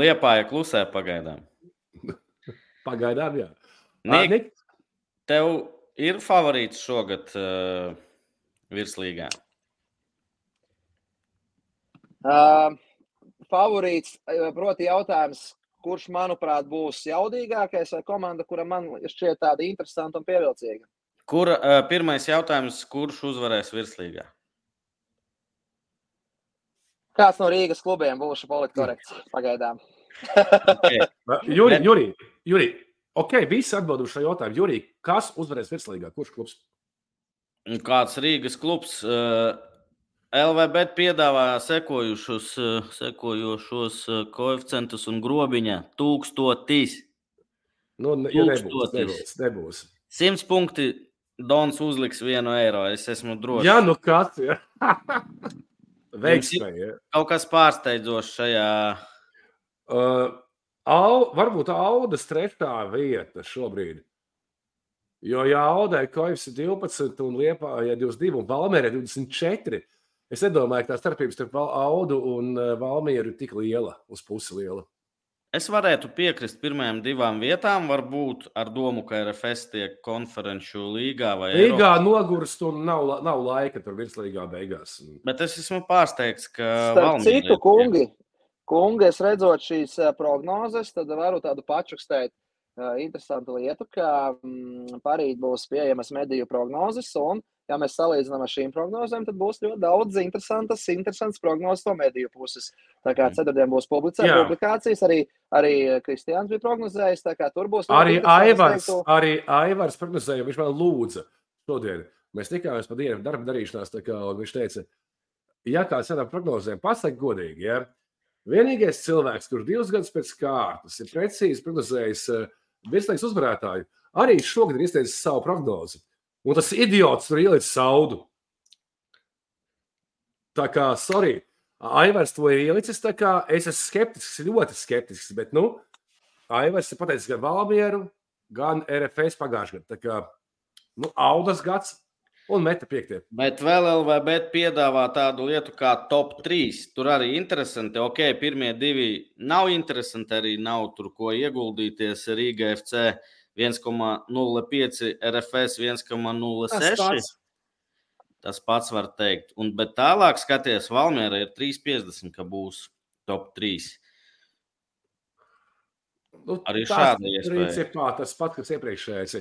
Liepāja klusē pagaidām. Pagaidām, jā. Nik, tev ir favorīts šogad virslīgā? Favorīts, proti jautājums, kurš, manuprāt, būs jaudīgākais vai komanda, kura man šķiet tāda interesanta un pievilcīga? Pirmais jautājums, kurš uzvarēs virslīgā? Kāds no Rīgas klubiem būs politkorekts pagaidām? Okay. Juri, visi atbild uz šo jautājumu. Juri, kas uzvarēs virslīgā? Kurš klubs? Kāds Rīgas klubs? LVB piedāvā sekojošos koeficientus un grobiņa 1000. Nebūs. 100 punkti Dons uzliks €1. Es esmu drošs. Jā, nu kāds, jā. Veiksmē, jā. Kaut kas pārsteidzošs šajā. Varbūt Audas 3. vieta šobrīd. Jo, ja Audai koefs ir 12 un Liepājai 22 un Valmierai 24, es nedomāju, ka tā starpības starp Audu un Valmieru ir tik liela, uz pusi liela. Es varētu piekrist pirmajām 2 vietām, varbūt ar domu, ka RFS tiek konferenču līgā vai Līgā nogurst un nav laika tur virslīgā beigās. Bet es esmu pārsteigts, ka Starp citu, kungi, es redzot šīs prognozes, tad varu tādu pačukstēt interesantu lietu, ka parīt būs pieejamas mediju prognozes, un, ja mēs salīdzinām ar šīm prognozēm, tad būs ļoti daudz interesants prognozes no mediju puses. Tā kā ceturtdien būs publikācijas, arī Kristiāns bija prognozējis, tā kā tur būs... Arī Aivars prognozēja, viņš man lūdza šodien. Mēs tikāmies pa dienu darba darīšanās, tā kā, un viņš teica, ja kāds ar prognozēm pasaka godīgi, ja, vienīgais cilvēks, kurš 2 gadus pēc kārtas ir precīzi prognozējis virslīgas uzvarētāju, arī šogad ir izteicis savu prognozi. Un tas idiots tur ielicis Audu. Tā kā, sorry, Aivars to ir ielicis, tā kā es esmu skeptisks, ļoti skeptisks, bet, Aivars ir pateicis gan Valmieru, gan RFS pagājušajā gadā. Tā kā, Audas gads un meta 5. Bet vēl LVB piedāvā tādu lietu kā top 3. Tur arī interesanti. Ok, pirmie 2 nav interesanti, arī nav tur ko ieguldīties. Rīga FC 1,05, RFS 1,06. Tas pats var teikt. Bet tālāk skaties, Valmiera ir 3,50, ka būs top 3. Arī šāda iespēja. Tas pats, kas iepriekšējais.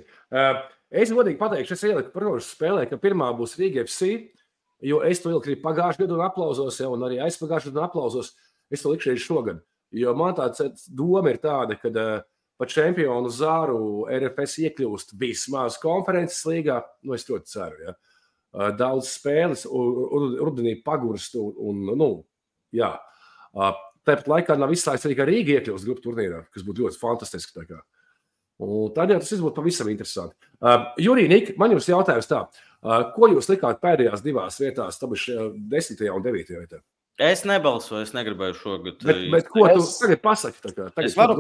Es godīgi pateikšu, es ieliku prognožu spēlē, ka pirmā būs Rīga FC, jo es to ieliku pagājušajā gadu un aplauzos, un arī aizpagājušajā gadu un aplauzos. Es to likšu arī šogad. Jo man tāda doma ir tāda, ka pa čempionu zāru RFS iekļūst vismaz konferences līgā. Es ļoti ceru, ja. Daudz spēles, rudenī pagurst jā. Tāpat laikā nav izslēgts arī, ka Rīga iekļūst grupu turnīrā, kas būtu ļoti fantastiski. Un tad jau tas viss būtu pavisam interesanti. Jurij, Nik, man jums jautājums tā. Ko jūs likāt pēdējās 2 vietās, tabuši 10. un 9. vietā? Es nebalsoju, es negribēju šogad. Bet ko tu tagad pasaki? Es varu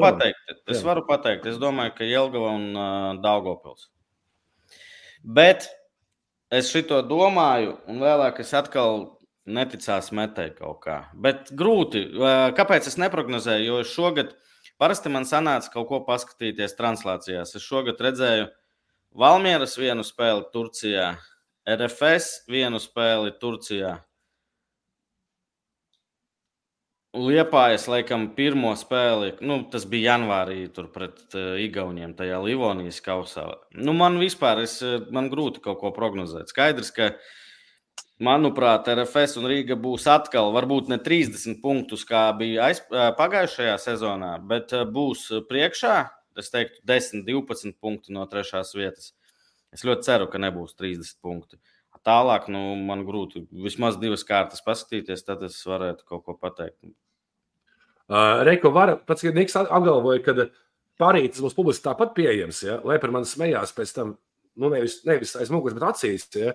pateikt. Es domāju, ka Jelgava un Daugavpils. Bet es šito domāju, un vēlāk es atkal neticās metēju kaut kā. Bet grūti. Kāpēc es neprognozēju? Jo es šogad, parasti man sanāca kaut ko paskatīties translācijās. Es šogad redzēju Valmieras 1 spēli Turcijā, RFS 1 spēli Turcijā. Liepājas, laikam, pirmo spēli, tas bija janvārī tur pret Igauniem tajā Livonijas kausā. Man vispār, man grūti kaut ko prognozēt. Skaidrs, ka, manuprāt, RFS un Rīga būs atkal, varbūt ne 30 punktus, kā bija pagājušajā sezonā, bet būs priekšā, es teiktu, 10-12 punkti no 3. vietas. Es ļoti ceru, ka nebūs 30 punkti. Tālāk, man grūti vismaz 2 kārtas paskatīties, tad es varētu kaut ko pateikt. Reiko pats, kad Niks apgalvoja, ka parītis būs publiski tāpat pieejams, ja? Lai par mani smējās pēc tam, nevis aiz muguras, bet acīs. Ja?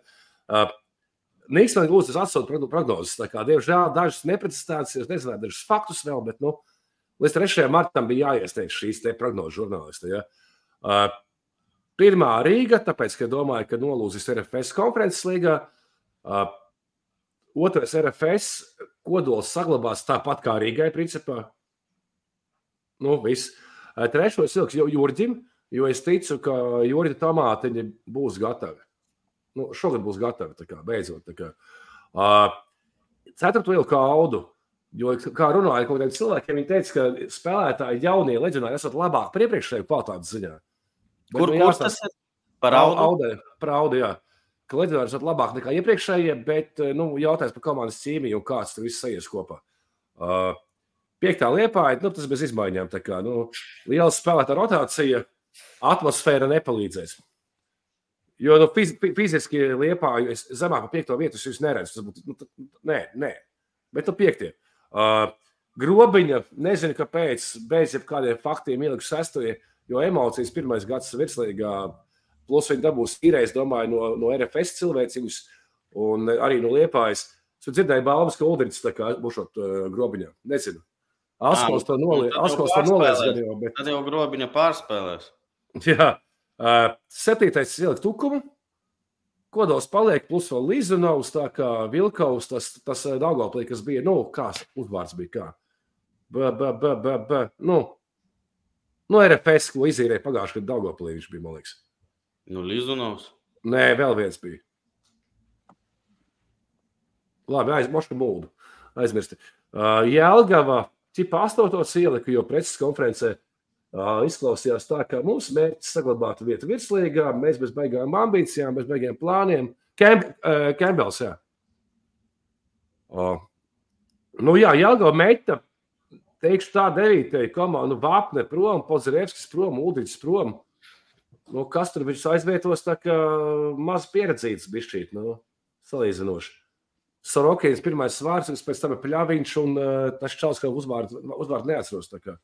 Niks man gūst tas atsaukt prognozes, tā kā, diemžēl, dažas neprecizitātes, es nezināju, dažas faktus vēl, bet, līdz 3. martam bija jāiesteikš šīs te prognožu žurnālisti, ja? Pirmā Rīga, tāpēc, ka domāju, ka nolūzis RFS konferences līgā. Otrais RFS kodols saglabās tāpat kā Rīgai, principā. Viss. Trešo es ilgs Jurģim, jo es ticu, ka Jurģa tomātiņi būs gatavi. Šogad būs gatavi, tā kā, beidzot. Tā kā. Ceturto ilgu Audu, jo, kā runāja kaut kādiem cilvēkiem, viņi teica, ka spēlētāji jaunie leģionāri esat labāk par iepriekšēju kvalitātes ziņā. Kur tas ir? Par Audu? Par Audu, jā. Ka leģionāri esat labāk nekā iepriekšējie, bet jautājums par komandas cīmiju un kāds tur viss sajies kopā. 5. Liepāja, tas bez izmaiņām. Tā kā, liela spēlētā rotācija, atmosfēra nepalīdzēs. Jo fiziski Liepāju es zemāk par 5. vietu es neredzu. Tas būtu, nē. Bet 5. Grobiņa, nezinu, kāpēc, bez jebkādiem faktiem ieliku 6. Jo emocijas 1. gads virslīgā, plus viņi dabūs īreiz, domāju, no RFS cilvēcīgus un arī no Liepājas. Es dzirdēju balvas, ka Uldriņš tā kā būšot Grobiņā. Nezinu. Askals to noliec. Tad jau Grobiņa pārspēlēs. Jā. 7. ielikt Tukumu. Kodols paliek, plus vēl Lizunovs, tā kā Vilkaus, tas Daugoplī, kas bija, kā uzvārds bija kā. RFS, ko izīrēja pagājuši, kad Daugoplī viņš bija, man liekas. Lizunovs? Nē, vēl viens bija. Labi, Moška Muldu. Aizmirsti. Jelgava, ķipa 8. ielika, jo preces konferencē izklausījās tā, ka mums mērķis saglabāt vietu virslīgā, mēs bez baigām ambīcijām, bez baigiem plāniem. Kembels, jā. Jelgava meita, teikšu tā 9. komanda, Vapne prom, Podzerevskis prom, Uldriņš prom. Kas tur viņš aizvietos, tā kā maz pieredzīts bišķīt, salīdzinoši. Sorokins pirmais svārds, pēc tam ir Pļaviņš un tas čals, ka uzvārdu neatceros. Tā kā.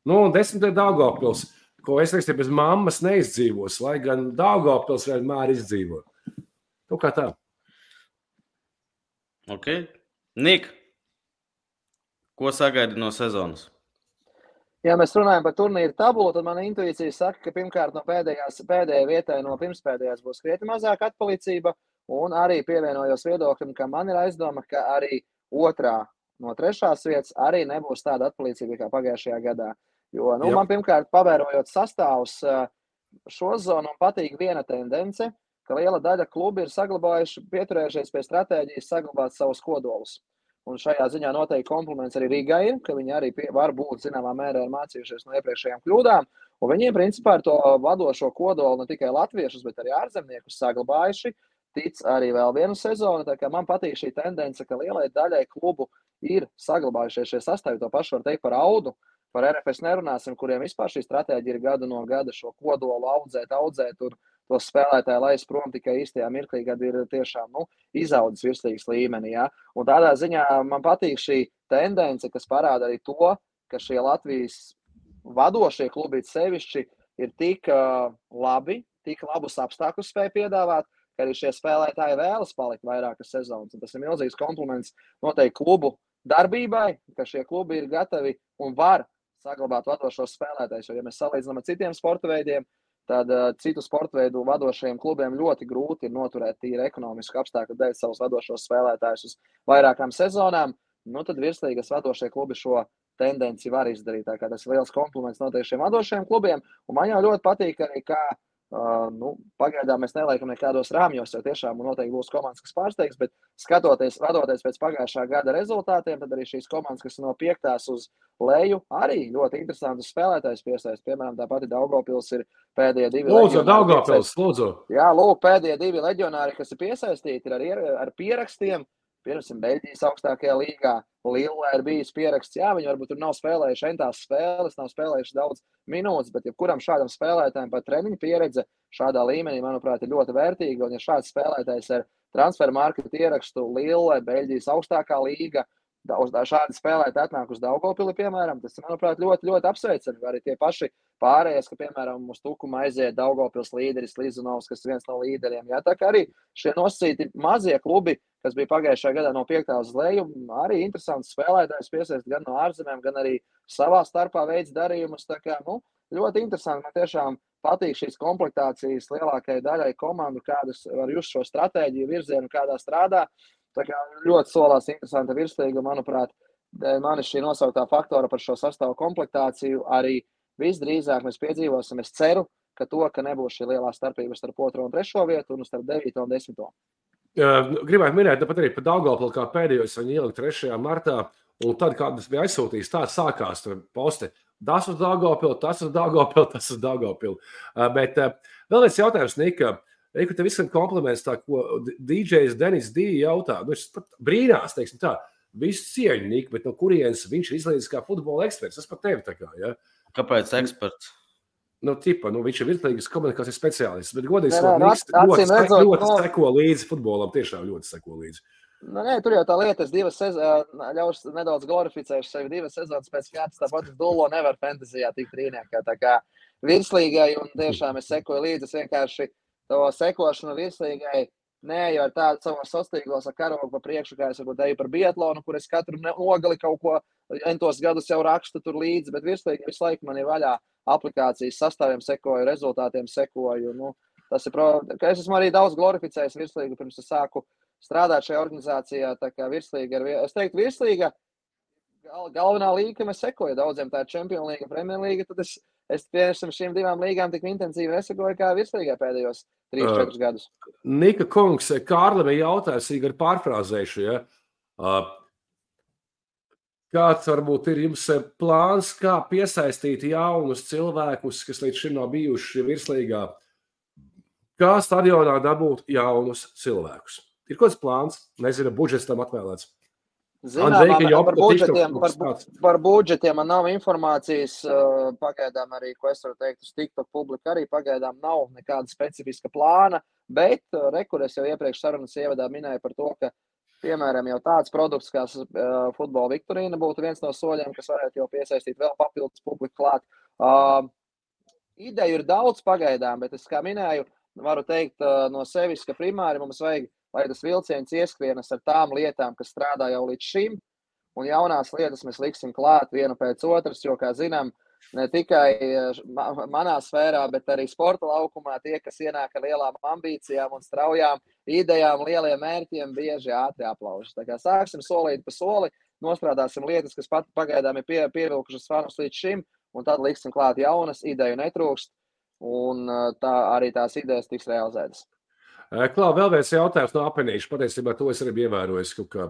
10. Daugavpils, ko es teiktu, bez mammas neizdzīvos, lai gan Daugavpils vienmēr izdzīvo. Kā tā. Ok. Nik, ko sagaidi no sezonas? Ja mēs runājam par turnīru tabulu, tad mana intuīcija saka, ka pirmkārt no pēdējai vietai no pirmspēdējās būs krietni mazāk atpalicība, un arī pievienojos viedoklim, ka man ir aizdoma, ka arī otrā no 3. vietas arī nebūs tāda atpalicība kā pagājušajā gadā. Jo, man pirmkārt pavērojot sastāvus šo zonu, patīk viena tendence, ka liela daļa klubi ir pieturējušies pie stratēģijas saglabāt savus kodolus. Un šajā ziņā noteikti kompliments arī Rīgai ir, ka viņi arī var būt zināmā mērā mācījušies no iepriekšējām kļūdām. Un viņiem principā ar to vadošo kodolu ne tikai latviešus, bet arī ārzemniekus saglabājuši. Tic arī vēl vienu sezonu. Tā kā man patīk šī tendence, ka lielai daļai klubu ir saglabājušies šie sastāvi. To pašu var teikt par Audu. Par RFS nerunāsim, kuriem vispār šī stratēģija ir gadu no gada šo kodolu audzēt, tur tos spēlētāji laist prom tikai īstajā mirklī, kad ir tiešām izaudzis virslīgas līmenī. Ja? Un tādā ziņā man patīk šī tendence, kas parāda arī to, ka šie Latvijas vadošie klubi sevišķi ir tik labi, tik labus apstākļus spēj piedāvāt, ka arī šie spēlētāji vēlas palikt vairākas sezonas. Un tas ir milzīgs kompliments noteikti klubu darbībai, ka šie klubi ir gatavi un var saglabāt vadošos spēlētājus. Jo, ja mēs salīdzinām ar citiem sporta veidiem, tad citu sporta veidu vadošajiem klubiem ļoti grūti ir noturēt tīri ekonomisku apstākļu dēļ savus vadošos spēlētājus uz vairākām sezonām. Tad virslīgas vadošie klubi šo tendenci var izdarīt. Tā kā tas ir liels kompliments noteikti šiem vadošajiem klubiem. Un man jau ļoti patīk arī, kā Pagaidām mēs neliekam nekādos rāmjos, jo tiešām noteikti būs komandas, kas pārsteigs, bet vadoties pēc pagājušā gada rezultātiem, tad arī šīs komandas, kas no 5. uz leju, arī ļoti interesantas spēlētājs piesaist. Piemēram, tā pati Daugavpils ir pēdējie 2 leģionāri. Lūdzu, Daugavpils, lūdzu. Jā, lūk, pēdējie 2 leģionāri, kas ir piesaistīti ar pierakstiem. Piemēram, Beļģijas augstākajā līgā Lillē ir bijis pieraksts. Jā, viņi varbūt tur nav spēlējuši entās spēles, nav spēlējuši daudz minūtes, bet jebkuram šādam spēlētājam pat treniņu pieredze šādā līmenī, manuprāt, ir ļoti vērtīga. Un ja šāds spēlētājs ar transferu marketu ierakstu Lillē, Beļģijas augstākā līga, šādi spēlētāji atnāk uz Daugavpili, piemēram, tas, manuprāt, ļoti, ļoti apsveicami. Arī tie paši pārējais, ka, piemēram, uz Tukuma aiziet Daugavpils līderis Lizunovs, kas ir viens no līderiem. Jā, tā kā arī šie nosacīti mazie klubi, kas bija pagājušajā gadā no 5. uz leju, arī interesants spēlētājs piesaist gan no ārzemēm, gan arī savā starpā veids darījumus. Tā kā, ļoti interesanti. Man tiešām patīk šīs komplektācijas lielākajai daļai komandu, kādas var just šo stratēģiju virzienu, kādā strādā. Tā kā ļoti solās interesanta virslīga, manuprāt, manis šī nosauktā faktora par šo sastāvu komplektāciju arī visdrīzāk mēs piedzīvosim. Es ceru, ka nebūs šī lielā starpība starp 2. un 3. vietu un starp 9. un 10. Gribētu minēt, tāpat arī par Daugavpili, kā pēdējos viņi ielika 3. martā, un tad, kad tas bija aizsūtījis, tā sākās posti. Tas uz Daugavpili, tas uz Daugavpili, tas uz Daugavpili. Bet vēl viens jautājums, Nika. Tev visam kompliments, tā, ko DJs Denis D. jautā. Viņš pat brīnās, teiksim tā, visu cieņu, Nika, bet no kurienes viņš ir izlīdzis kā futbola eksperts. Tas pat tevi tā kā, ja? Kāpēc eksperts? Viņš ir virslīgas komunikācijas speciālists, bet godīgi ļoti seko līdzi futbolam, tiešām ļoti seko līdzi. Tur jau tā lieta, es ļaušu nedaudz glorificēšu sevi 2 sezonas pēc kārtas, tāpat es Dullo nevaru fantazijā tikt trīniekā, tā kā virslīgai, un tiešām es sekoju līdzi, es vienkārši to sekošanu virslīgai neeju ar tādu savos sastīglos ar karogu pa priekšu, kā es varbūt eju par biatlonu, kur es katru nogali kaut ko entos gadus jau rakstu tur līdzi, bet virslīgi visu laiku man ir vaļā aplikācijas sastāviem sekoju, rezultātiem sekoju. Tas ir ka es esmu arī daudz glorificējis virslīgu, pirms es sāku strādāt šajā organizācijā, tā kā virslīga es teiktu, virslīga galvenā līga, ka mēs sekoju daudziem, tā ir Champions League, Premier League, tad es piemēram šīm 2 līgām tik intensīvi nesakoju kā virslīgā pēdējos 3-4 gadus. Nika kungs, Kārlim ir jautājums, Igor pārfrāzēšu, ja? Kāds varbūt ir jums plāns, kā piesaistīt jaunus cilvēkus, kas līdz šim nav bijuši virslīgā? Kā stadionā dabūt jaunus cilvēkus? Ir kāds plāns? Nezinu, budžets tam atvēlēts. Par budžetiem man nav informācijas, pagaidām arī, ko es varu teikt, uz TikTok publika arī pagaidām nav nekāda specifiska plāna, bet kur es jau iepriekš sarunas ievadā minēju par to, ka, piemēram, jau tāds produkts, kā futbola viktorīna būtu viens no soļiem, kas varētu jau piesaistīt vēl papildus publiku klāt. Ideju ir daudz pagaidām, bet es, kā minēju, varu teikt no sevis, ka primāri mums vajag, lai tas vilciens ieskrienas ar tām lietām, kas strādā jau līdz šim, un jaunās lietas mēs liksim klāt vienu pēc otras, jo, kā zinām, ne tikai manā sfērā, bet arī sporta laukumā tie, kas ienāk ar lielām ambīcijām un straujām idejām, lieliem mērķiem, bieži ātri aplaužas. Tā kā sāksim solīt pa soli, nostrādāsim lietas, kas pagaidām ir pievilkušas fanus līdz šim, un tad liksim klāt jaunas, ideju netrūkst, un tā arī tās idejas tiks realizētas. Klau, vēl viens jautājums no Apenīša. Patiesībā to es arī biju ievērojis kaut kā.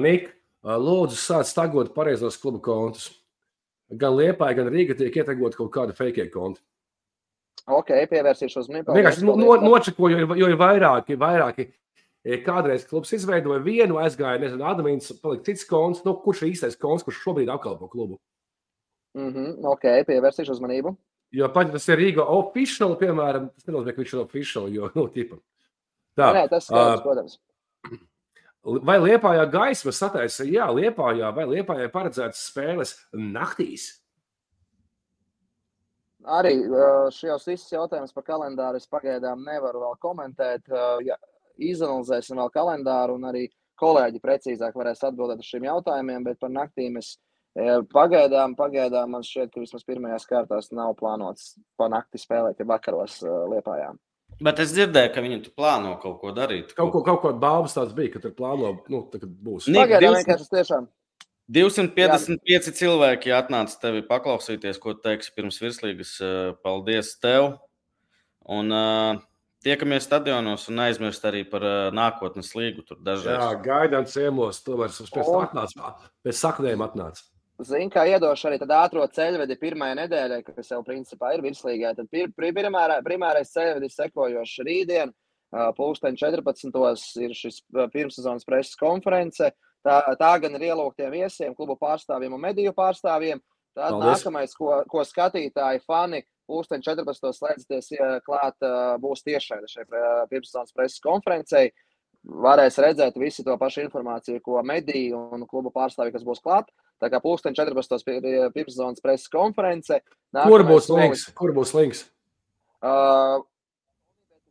Nik, lūdzu sāc tagot pareizos klubu kontus. Gan Liepāja, gan Rīga tiek ietegot kaut kādu fake kontu. Ok, pievērsīšu uzmanību. Vienkārši nočekoju, jo ir vairāki. Kādreiz klubs izveidoja vienu, aizgāja, nezinu, admins, palika cits konts, kurš ir īstais konts, kurš šobrīd apkalpo klubu. Ok, pievērsīšu uzmanību. Jo pat, tas ir Rīga official, piemēram, tas nenozīmē, ka viņš ir official, jo, tipa. Tā. Nē, tas skaidrs, protams. Vai Liepājā gaisma sataisa? Jā, Liepājā, vai Liepājā paredzētas spēles naktīs? Arī šajos visus jautājumus par kalendāru es pagaidām nevaru vēl komentēt. Izanalizēsim vēl kalendāru un arī kolēģi precīzāk varēs atbildēt uz šiem jautājumiem, bet par naktīm es pagaidām man šķiet, ka vismaz pirmajās kārtās nav plānots pa nakti spēlēt, ja vakaros Liepājā. Bet es dzirdēju, ka viņi tu plāno kaut ko darīt. Kaut ko bābas tāds bija, ka tur plāno, kad būs. Pagaidām vienkārši tiešām 255 cilvēki atnāca tevi paklausīties, ko teiksi pirms virslīgas. Paldies tev! Un tiekamies stadionos un aizmirst arī par nākotnes līgu tur dažreiz. Jā, gaidām ciemos, tomēr pēc saknēm atnāca. Zini, kā iedošu arī tad ātro ceļvedi pirmajai nedēļai, kas jau principā ir virslīgai. Tad primārais ceļvedis sekojoši rītdien, 14. ir šis pirmssezonas preses konference. Tā gan ir ielūgtiem viesiem, klubu pārstāvjiem un mediju pārstāvjiem. Tad nākamais, ko skatītāji, fani, 14. slēdzoties klāt, būs tiešraide šai pirmssezonas preses konferencei. Varēs redzēt visi to pašu informāciju, ko mediju un klubu pārstāvji, kas būs klāt. Tā kā 14. pirmssezonas preses konference. Kur būs links?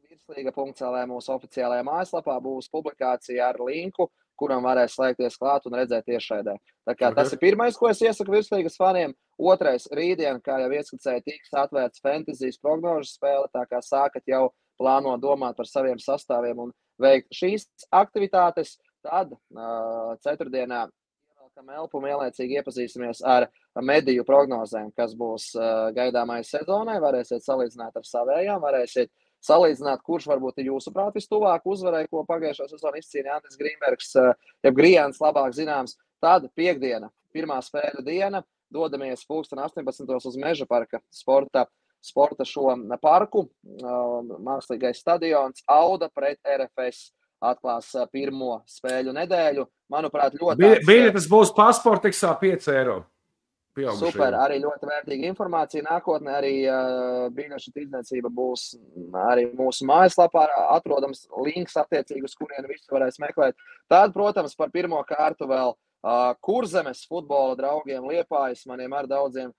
Virslīga.lv mūsu oficiālajā mājaslapā būs publikācija ar linku, kuram varēs slēgties klāt un redzēt tiešraidē. Tā kā tas ir pirmais, ko es iesaku virslīgas faniem. Otrais, rītdien, kā jau ieskicēja, tiks atvērts fantasijas prognožu spēle, tā kā sākat jau plānot domāt par saviem sastāviem un veikt šīs aktivitātes. Tad ceturtdienā ievelkam elpu un ielaicīgi iepazīsimies ar mediju prognozēm, kas būs gaidāmai sezonai. Varēsiet salīdzināt ar savējām, varēsiet salīdzināt, kurš varbūt ir jūsuprāt vistuvāk uzvarai, ko pagājušo sezonu izcīnīja Andris Grīnbergs, jeb Grijāns labāk zināms. Tad piekdiena, pirmā spēļu diena, dodamies 18. uz Meža parka sporta šo parku. Mākslīgais stadions Auda pret RFS atklās pirmo spēļu nedēļu. Manuprāt, ļoti... Biļetes būs Pasportiksā 5 eiro. Super, arī ļoti vērtīga informācija nākotnē, arī biļešu tirdzniecība būs arī mūsu mājaslapā, atrodams links attiecīgi, uz kurien visu varēs meklēt. Tad, protams, par pirmo kārtu vēl Kurzemes futbola draugiem Liepājas, maniem ar daudziem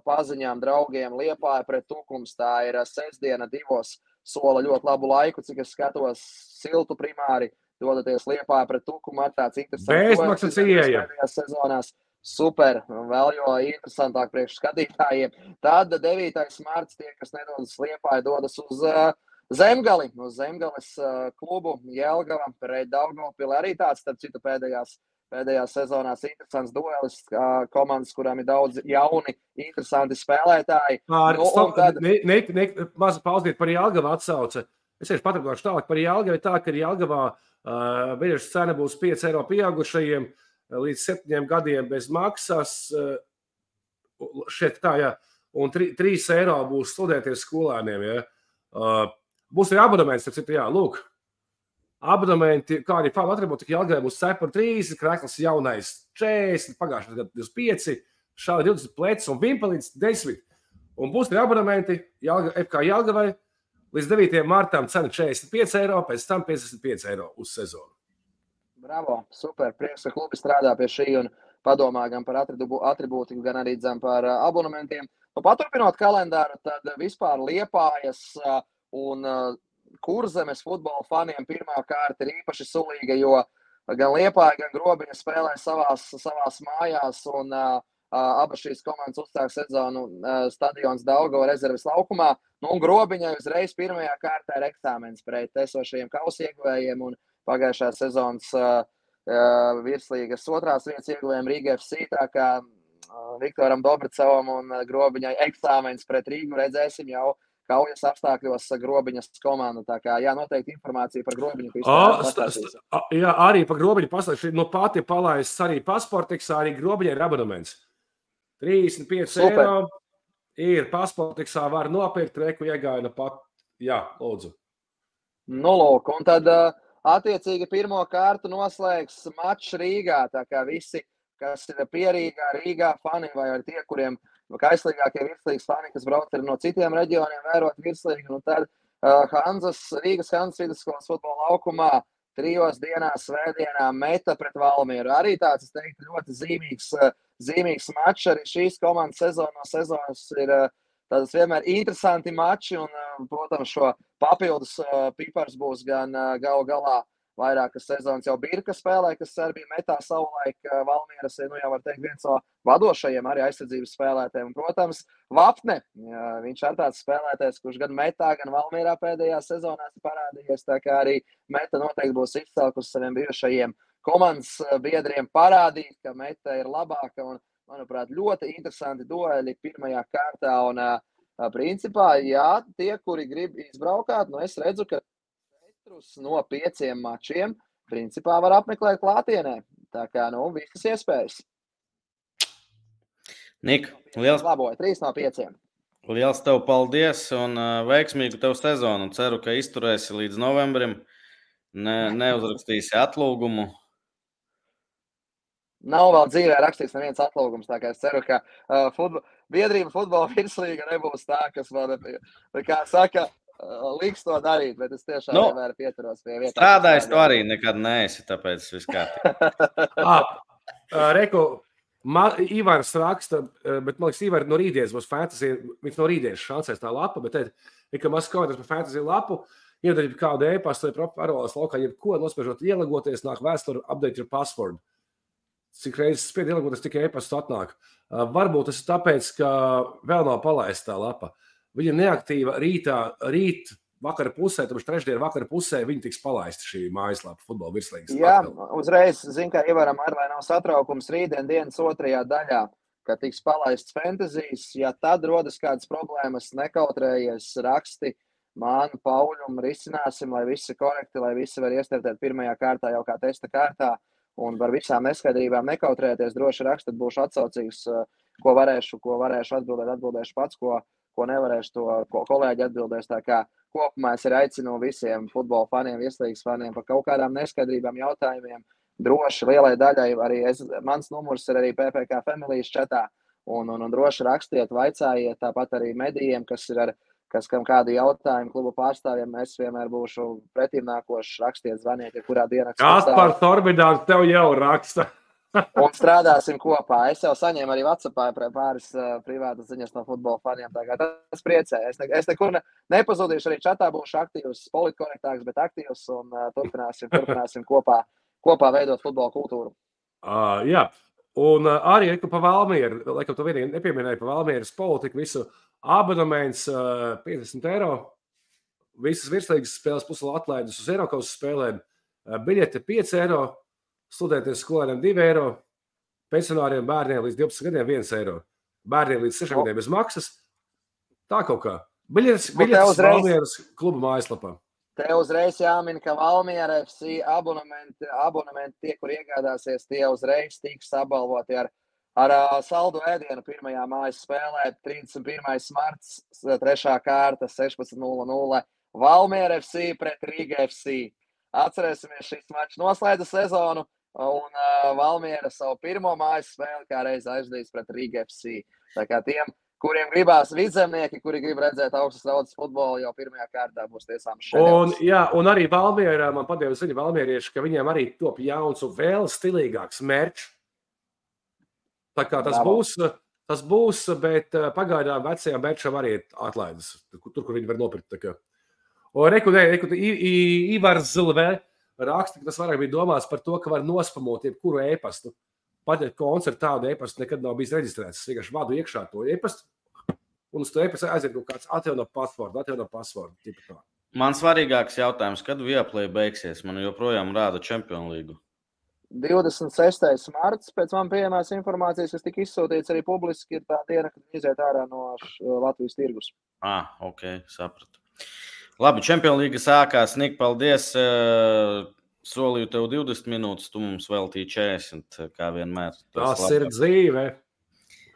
paziņām draugiem Liepāja pret Tukums. Tā ir sestdiena 2. sola ļoti labu laiku, cik es skatos siltu primāri, dodaties Liepāja pret Tukumu ar tāds interesants. Bezmaksas ieeja. Sezonās. Super, vēl jo interesantāk priekš skatītājiem. Tad 9. marts tie, kas nedodas Liepāja, dodas uz Zemgali, uz Zemgales klubu Jelgava pret Daugavpili. Arī tāds, starp citu, pēdējās sezonās interesants duelis, komandas, kurām ir daudz jauni, interesanti spēlētāji. Maza pauzdīt par Jelgavu atsauce. Es tieši paturgošu tālāk par Jelgavu. Tā, ka Jelgavā biļešu cena būs 5 eiro pieaugušajiem līdz 7 gadiem bez maksas. Šeit tā, jā. Un 3 eiro būs studēties skolēniem, jā. Būs arī abonements, jā, lūk. Abonementi, kā arī fanu atribūti, Jelgavai būs cepura 30, krekls jaunais 40, pagājušajā gadā 25, šādi 20 plecs un vimpelīts 10. Un būs arī abonementi FK Jelgavai līdz 9. martam cena 45 eiro, pēc tam 55 eiro uz sezonu. Bravo, super, prieks, ka klubi strādā pie šī un padomā gan par atribūtiku, gan arī par abonementiem. Paturpinot kalendāru, tad vispār Liepājas un Kurzemes futbola faniem pirmā kārta ir īpaši sulīga, jo gan Liepāja, gan Grobiņa spēlē savās mājās un abas šīs komandas uzsāk sezonu stadions Daugava rezerves laukumā. Un Grobiņai uzreiz pirmajā kārtā ir eksāmens pret esošajiem kausieguvējiem un pagājušās sezonas virslīgas otrās vietas ieguvējiem Rīga FC, tā kā Viktoram Dobricovam un Grobiņai eksāmens pret Rīgu redzēsim jau kaujas apstākļos Grobiņas komandu. Tā kā, jā, noteikti informācija par Grobiņu. Jā, arī par Grobiņu pastāstīt. No pati palaists arī Pasportiksā, arī Grobiņai ir abonements. 35 eiro ir Pasportiksā, var nopirkt, reku iegāja pat. Jā, lūdzu. Nu, lūk, un tad attiecīgi pirmo kārtu noslēgs mačs Rīgā, tā kā visi, kas ir pierīgā, Rīgā fani vai arī tie, kuriem kaislīgākie virslīgas fani, kas brauc no citiem reģioniem vērot virslīgu, un tad Rīgas Hanzas vidusskolas futbola laukumā 3 dienās svētdienā Meta pret Valmieru. Arī tāds, es teiktu, ļoti zīmīgs mačs. Arī šīs komandas sezonas ir tādas vienmēr interesanti mači, un, protams, šo papildus pipars būs gan galu galā vairākas sezonas jau Birka spēlē, kas arī bija Metā savulaik. Valmieras ir, jau var teikt, viens no vadošajiem arī aizsardzības spēlētājiem. Un, protams, Vapne, viņš ir tāds spēlētājs, kurš gan Metā, gan Valmierā pēdējās sezonās parādījies, tā kā arī Meta noteikti būs izcelkus saviem bijušajiem komandas biedriem parādīt, ka meta ir labāka un, manuprāt, ļoti interesanti dueli pirmajā kārtā. Un, principā, jā, tie, kuri grib izbraukāt, es redzu, ka 4 no 5 mačiem principā var apmeklēt klātienē. Tā kā, visas iespējas. Nik, liels 3 no 5. Liels tev paldies un veiksmīgu tev sezonu. Ceru, ka izturēsi līdz novembrim. Neuzrakstīsi atlūgumu. Nav vēl dzīvē rakstīts neviens atlūgums, tā kā es ceru, ka biedrība futbola virslīga nebūs tā, kas man, kā saka, liks to darīt, bet es tiešām vienmēr pieturos pie vietā. Strādājis tu arī nekad neesi, tāpēc viss kārtībā. Reku, Ivars raksta, bet man liekas, Ivar no rītdienas būs fantasy, viņš no rītdienas šansēs tā lapa, bet ka maz komentārs par fantasy lapu, iedarbīt kādu e-pastu vai parolas laukā, jebko nospiežot ielagoties, nāk vēsturi update your password. Cik reizes spied ielagoties, tikai e-pastu atnāk. Varbūt tas ir tāpēc, ka vēl nav palaista tā lapa. Viņa neaktīva rīt vakara pusē, tāpēc trešdien vakara pusē viņa tiks palaista šī mājaslapa futbola virslīgas. Jā, uzreiz, kā ievaram ar, lai nav satraukums rītdien dienas 2. daļā, kad tiks palaists fantasijas, ja tad rodas kādas problēmas, nekautrējies, raksti man, Pauļum, risināsim, lai viss ir korekti, lai visi var iestartēt pirmajā kārtā jau kā testa kārtā. Un par visām neskaidrībām nekautrēties, droši rakstat, būšu atsaucīgs, ko varēšu atbildēt, atbildēšu pats, ko nevarēšu, to kolēģi atbildēs. Tā kā kopumā es arī aicinu visiem futbola faniem, virslīgas faniem par kaut kādām neskaidrībām jautājumiem. Droši lielai daļai arī mans numurs ir arī PPK Familijas chatā. Un droši rakstiet, vaicājiet, tāpat arī medijiem, kam kādi jautājumi kluba pārstāvjiem, es vienmēr būšu pretīmnākošs, rakstiet, zvaniet, ja kurā dienā. Kaspars Orbidāns tev jau raksta. Un strādāsim kopā. Es jau saņēmu arī WhatsAppā pāris privātas ziņas no futbola faniem, tā kā tas priecē. Es nekur nepazudīšu, arī čatā būšu aktīvs, politkorektāks, bet aktīvs, un turpināsim kopā veidot futbola kultūru. Jā, un arī pa Valmieru, laikam tu vienīgi nepieminēji pa Valmieras politiku, visu abonements 50 €, visas virslīgas spēles pusēl atlaidus uz Eirokausas spēlēm, biļete 5 €, studentiem skolēniem 2 €, pensionāriem bērniem līdz 12 gadiem 1 €, bērniem līdz 6 gadiem bez maksas. Tā kaut kā. Biļetes Valmieras kluba mājaslapā. Te uzreiz jāmin, ka Valmiera FC abonementi tie, kur iegādāsies, tie uzreiz tiks apbalvoti ar saldu ēdienu pirmajā mājas spēlē, 31. marts, 3. kārta, 16:00. Valmiera FC pret Rīga FC. Atcerēsimies, šis mačs noslēdza sezonu, un Valmiera savu pirmo mājas spēli kā reiz aizdīs pret Rīga FC. Tā kā tiem, kuriem gribās vidzemnieki, kuri grib redzēt augstas raudas futbolu, jau pirmajā kārtā būs tiesām šeit. Un arī Valmiera, man padeva ziņa valmierieši, ka viņiem arī top jauns un vēl stilīgāks merč. Tā kā tas būs, bet pagaidām vecajām merčām arī atlaides, tur, kur viņi var nopirkt. Ivars Zilvē raksta, ka tas vairāk bija domāts par to, ka var nospamot jebkuru e-pastu. Pat ja koncertu tādu e-pastu nekad nav bijis reģistrēts. Es vienkārši vadu iekšā to e-pastu, un uz to e-pastu aiziet kaut kāds atjauno passwordu. Man svarīgāks jautājums, kad Viaplay beigsies? Man joprojām rāda Champions League. 26. marts, pēc man pieejamās informācijas, kas tika izsūtīts arī publiski, ir tā diena, kad iziet ārā no Latvijas tirgus. Ok, sapratu. Labi, Champions League sākās. Nik, paldies. Solīju tev 20 minūtes, tu mums veltīji 40, kā vienmēr. Tas ir dzīve.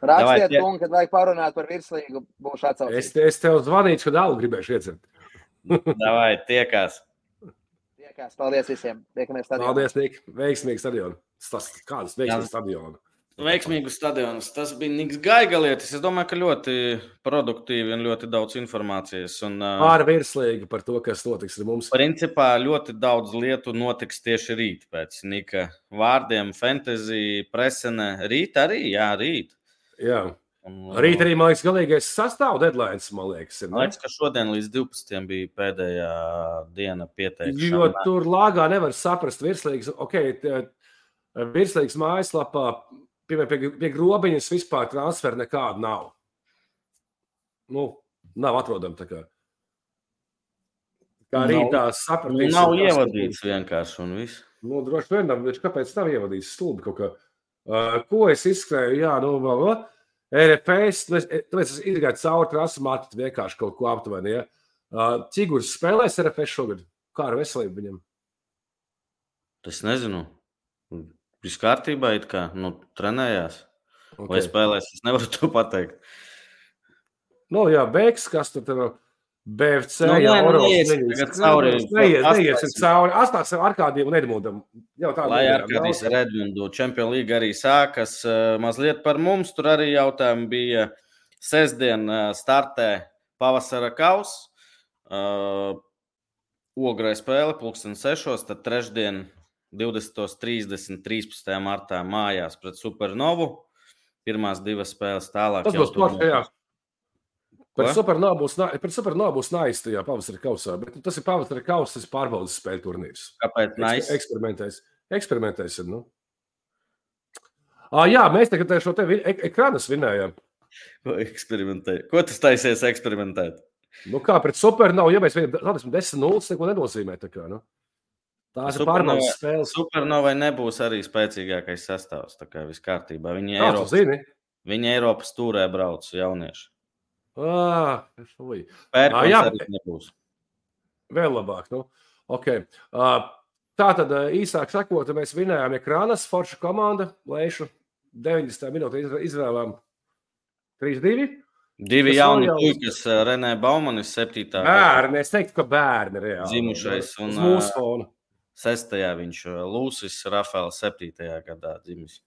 Rakstiet, kungi, kad vajag parunāt par virslīgu, būšu atsaucīgs. Es tev zvanīšu, kad alu gribēšu iedzert. Davai, tiekās. Paldies visiem. Tiekamies stadionā. Paldies, Nik. Veiksmīgs stadions. Kādas veiksmīgas stadionas? Veiksmīgus stadionus. Tas bija Niks Gaigalietis. Es domāju, ka ļoti produktīvi un ļoti daudz informācijas. Pār virslīgi par to, kas notiks ar mums. Principā ļoti daudz lietu notiks tieši rīt pēc Nika vārdiem. Fantasy, presene. Rīt arī? Jā, rīt. Jā. Rīt arī, man liekas, galīgais sastāv deadlines, man liekas. Man liekas, ka šodien līdz 12 bija pēdējā diena pieteikšana. Jo tur lāgā nevar saprast virslīgas. Virslīgas mājaslapā pie grobiņas vispār transferi nekāda nav. Nav atrodama tā kā. Kā rītā sapratīs. Nav ievadīts vienkārši un viss. Nu, droši vien, viņš kāpēc nav ievadījis stulbi kaut kā. Ko es izskrēju? Jā, RFS, tāpēc es izgāju cauri trasi marketu vienkārši kaut ko aptuveni, ja. Ķigurs spēlēs RFS šogad? Kā ar veselību viņam? Es nezinu. Viss kārtībā it kā, trenējās. Okay. Vai spēlēs, es nevaru to pateikt. Jā, Beks, kas tur BFC, neies cauri. Astāksim Arkādiem un Edmundam. Lai Arkādijas ar Edmundu Champions League arī sākas. Mazliet par mums, tur arī jautājumi bija. Sestdien startē pavasara kaus. Ograi spēle 6:00, tad trešdien 20:30, 13. martā mājās pret Supernovu. Pirmās divas spēles tālāk. Tas būs poršajā. Pret Supernovu būs nais tajā pavasara kausā, bet tas ir pavasara kaus, tas pārbaudas spēļu turnīrs. Kāpēc nais? Eksperimentēs. Jā, mēs tagad šo te ekrānas vinējām. Ko tu taisies eksperimentēt? Kā pret Supernovu, ja mēs rādīsim 10-0, neko nenozīmē. Tās ir pārbaudas spēles. Supernovai nebūs arī spēcīgākais sastāvs, tā kā viss kārtībā. Viņi Eiropas tūrē brauc jaunieši. Pērkons arī nebūs. Vēl labāk, Okay. Tātad īsāk sakot, mēs vinējām ekrānas, forša komanda, Leišu 90. minūte izvēlām 3-2. Divi jauni puikas, Renē Baumanis 7. Bērni, es teiktu, ka bērni reāli. Zimušais un mūsu fona. 6. viņš Lūsis Rafēls 7. gadā dzimis.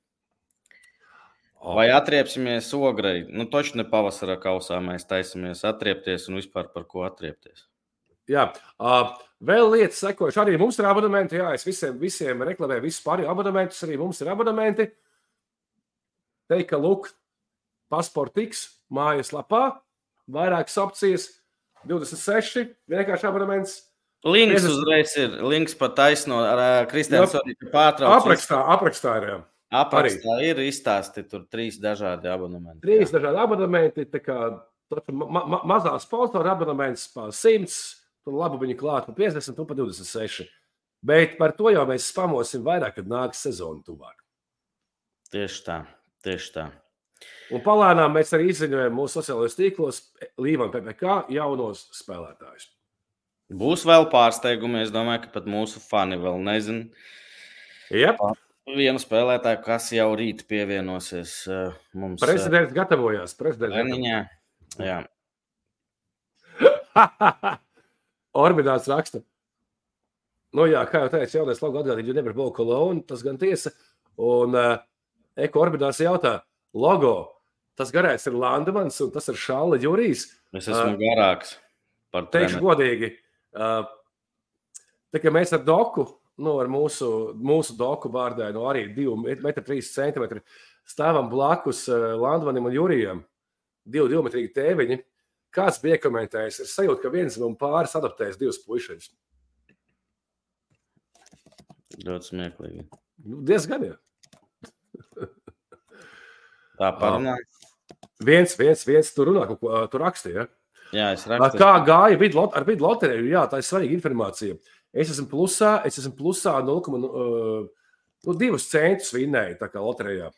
Vai atriepsimies Ograi? Toši ne pavasara kausā mēs taisamies atriepties un vispār par ko atriepties. Jā, vēl lietas sekojuši. Arī mums ir abonementi. Jā, es visiem reklamēju visus pārējos abonementus. Arī mums ir abonementi. Teika Luk, Pasportiks, mājaslapā. Vairākas opcijas. 26, vienkārši abonements. Links uzreiz ir. Links pat taisno ar Kristiāns arī pārtrauc. Aprakstā ir, jā. Aprakstā ir izstāsti tur 3 dažādi abonementi. 3 dažādi abonementi, tā kā mazā sponsora abonements pa 100, tur labi viņi klāt pa 50 un pa 26. Bet par to jau mēs spamosim vairāk, kad nāks sezona tuvāk. Tieši tā. Un palēnām mēs arī izziņojam mūsu sociālajos tīklos Līvan PPK jaunos spēlētājus. Būs vēl pārsteigumi, es domāju, ka pat mūsu fani vēl nezin. Jep. Vienu spēlētāju, kas jau rīt pievienosies mums. Prezidents gatavojās. Jā. Orbidāts raksta. Jā, kā jau teicu, jaunais logo atgādīt, jo nevar būt kolonu, tas gan tiesa. Un Eko Orbidāts jautā, logo, tas garais ir Landemans un tas ir Šāla Jurijs. Es esmu garāks par teikšu godīgi. Tā kā mēs ar Doku, ar mūsu Doku vārdā, arī 2,3 m stāvam blakus Landemanim un Jurijam, 2,2 m tēviņi. Kāds bija komentējis? Es sajūtu, ka viens un pāris adaptējas 2 puišaļus. Ļoti smieklīgi. Diezgan, jā. Tā parunā. Viens tur runā, tu raksti, ja? Jā, es rakstu. Kā gāja ar vidu loteriju? Jā, tā ir svarīga informācija. Es esmu plusā 0,2 centus vinnēju tā kā loterijā.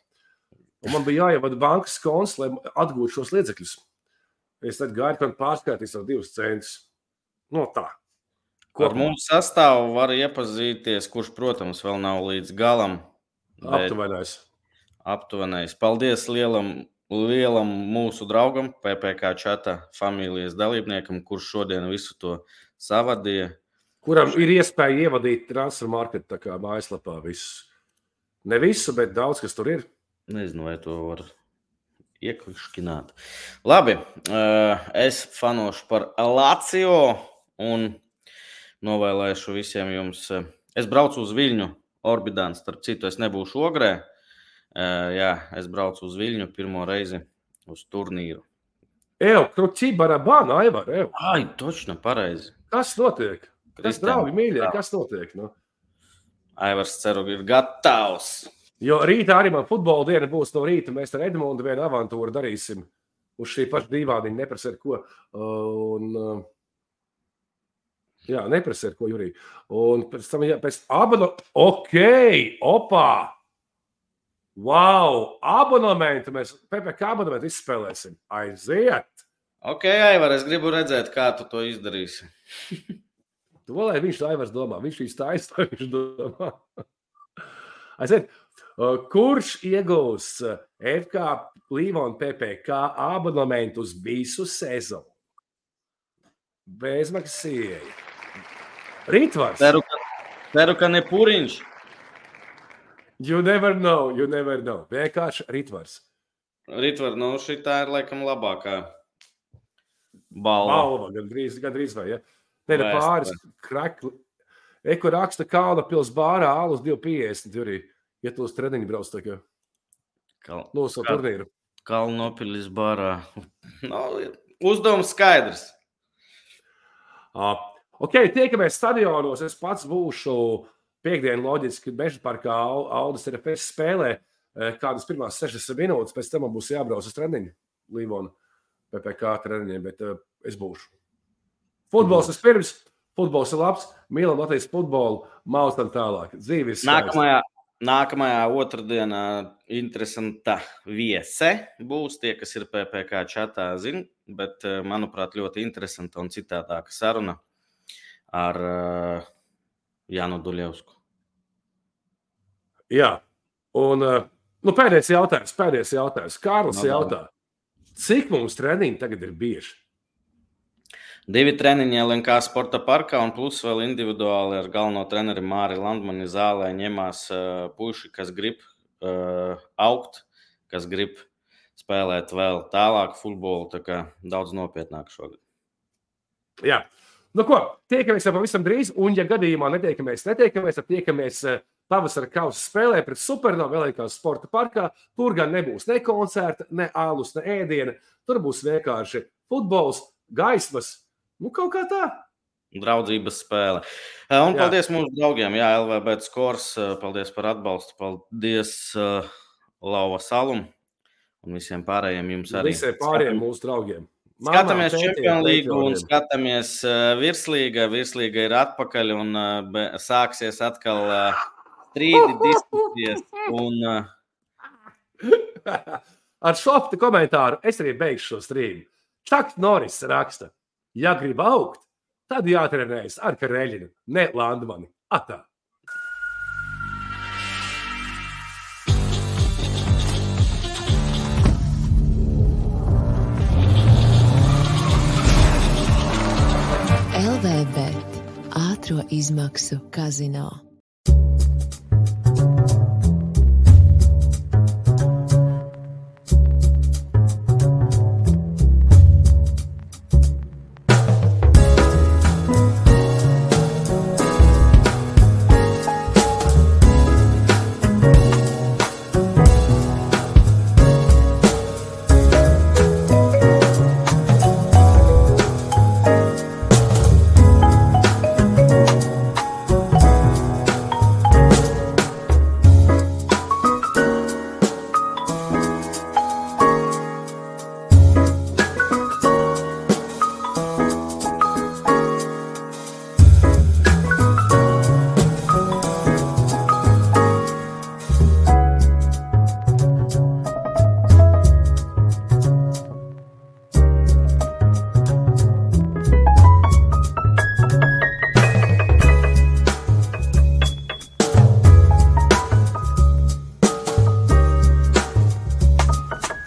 Un man bija jāievada bankas konts, lai atgūtu šos līdzekļus. Es tad gāju, kad pārskaitīs ar 2 centus. Tā. Ar mūsu sastāvu var iepazīties, kurš, protams, vēl nav līdz galam. Aptuvenais. Paldies lielam mūsu draugam, PPK čata familijas dalībniekam, kurš šodien visu to savadīja. Kuram ir iespēja ievadīt transfer marketu tā kā mājaslapā visu. Ne visu, bet daudz, kas tur ir. Nezinu, vai to var iekliškināt. Labi, es fanošu par Lazio un novēlēšu visiem jums. Es braucu uz Viļņu, Orbidāns, starp citu, es nebūšu Ogrē. Jā, es braucu uz Viļņu pirmo reizi uz turnīru. Kruķi barabāna, Aivar, Ai, točno, pareizi. Kas notiek? Kas, draugi, mīļie, kas notiek? Aivars ceru ir gatavs. Jo rītā arī man futbola diena būs no rīta. Mēs ar Edmundu vienu avantūru darīsim. Uz šī paša dīvāniņa neprasa ar ko. Jā, neprasa, ko Jurī. Un pēc tam, pēc opā! Wow! Abonementu mēs, PPK abonementu izspēlēsim. Aiziet! Ok, Aivar, es gribu redzēt, kā tu to izdarīsi. To, lai viņš Aivars domā. Viņš īsti lai viņš domā. Aiziet! Kurš iegūs FK Līvona PPK abonementu uz visu sezonu? Bezmaksas. Ritvars. Ceru, ka ne Puriņš. You never know. Vienkārši Ritvars. Ritvar, šitā ir laikam labākā balva. Balva, gandrīz vai, ja? Nē, pāris krakli. Eko raksta Kalna pils bārā, alus 2,50, Jurī. Ja tu uz treniņu brauc tā kā. Uz turnīru. Kalnopilis bārā. Uzdevums skaidrs. Ok, tiekamies stadionos. Es pats būšu piekdienu loģiski Meža parkā Aldis RFS spēlē kādas pirmās 60 minūtes, pēc tam man būs jābrauc uz treniņu Līvona PPK treniņiem, bet es būšu. Futbols vispirms, futbols ir labs, mīlam Latvijas futbolu, maustam tālāk. Dzīve ir skaista. Nākamajā otrdienā interesanta viese būs tie, kas ir PPK čatā, zin, bet, manuprāt, ļoti interesanta un citādāka saruna ar Jānu Duļevsku. Jā, un pēdējais jautājums. Kārlis jautā, cik mums treniņi tagad ir bieži? 2 treniņi LNK sporta parkā un plus vēl individuāli ar galveno treneri Māri Landmani zālē ņemās puiši, kas grib augt, kas grib spēlēt vēl tālāk futbolu, tā kā daudz nopietnāk šogad. Jā, tiekamies jau pavisam drīz, un ja gadījumā netiekamies, tad tiekamies pavasara kausa spēlē pret Supernovu LNK sporta parkā. Tur gan nebūs ne koncerta, ne alus, ne ēdiena, tur būs vienkārši futbols, gaismas, kaut kā tā. Draudzības spēle. Un paldies mūsu draugiem, LVB Skors, paldies par atbalstu, paldies Lauva Salum un visiem pārējiem jums arī. Visiem pārējiem mūsu draugiem. Skatāmies Champions League un skatāmies Virslīga. Virslīga ir atpakaļ un sāksies atkal strīdi, diskusijas. Ar šofta komentāru es arī beigšu šo strīdu. Čaks Norris raksta, ja grib augt, tad jātrenējas ar Kareļinu, ne Landmani. Atā! LVB ātro izmaksu kazino.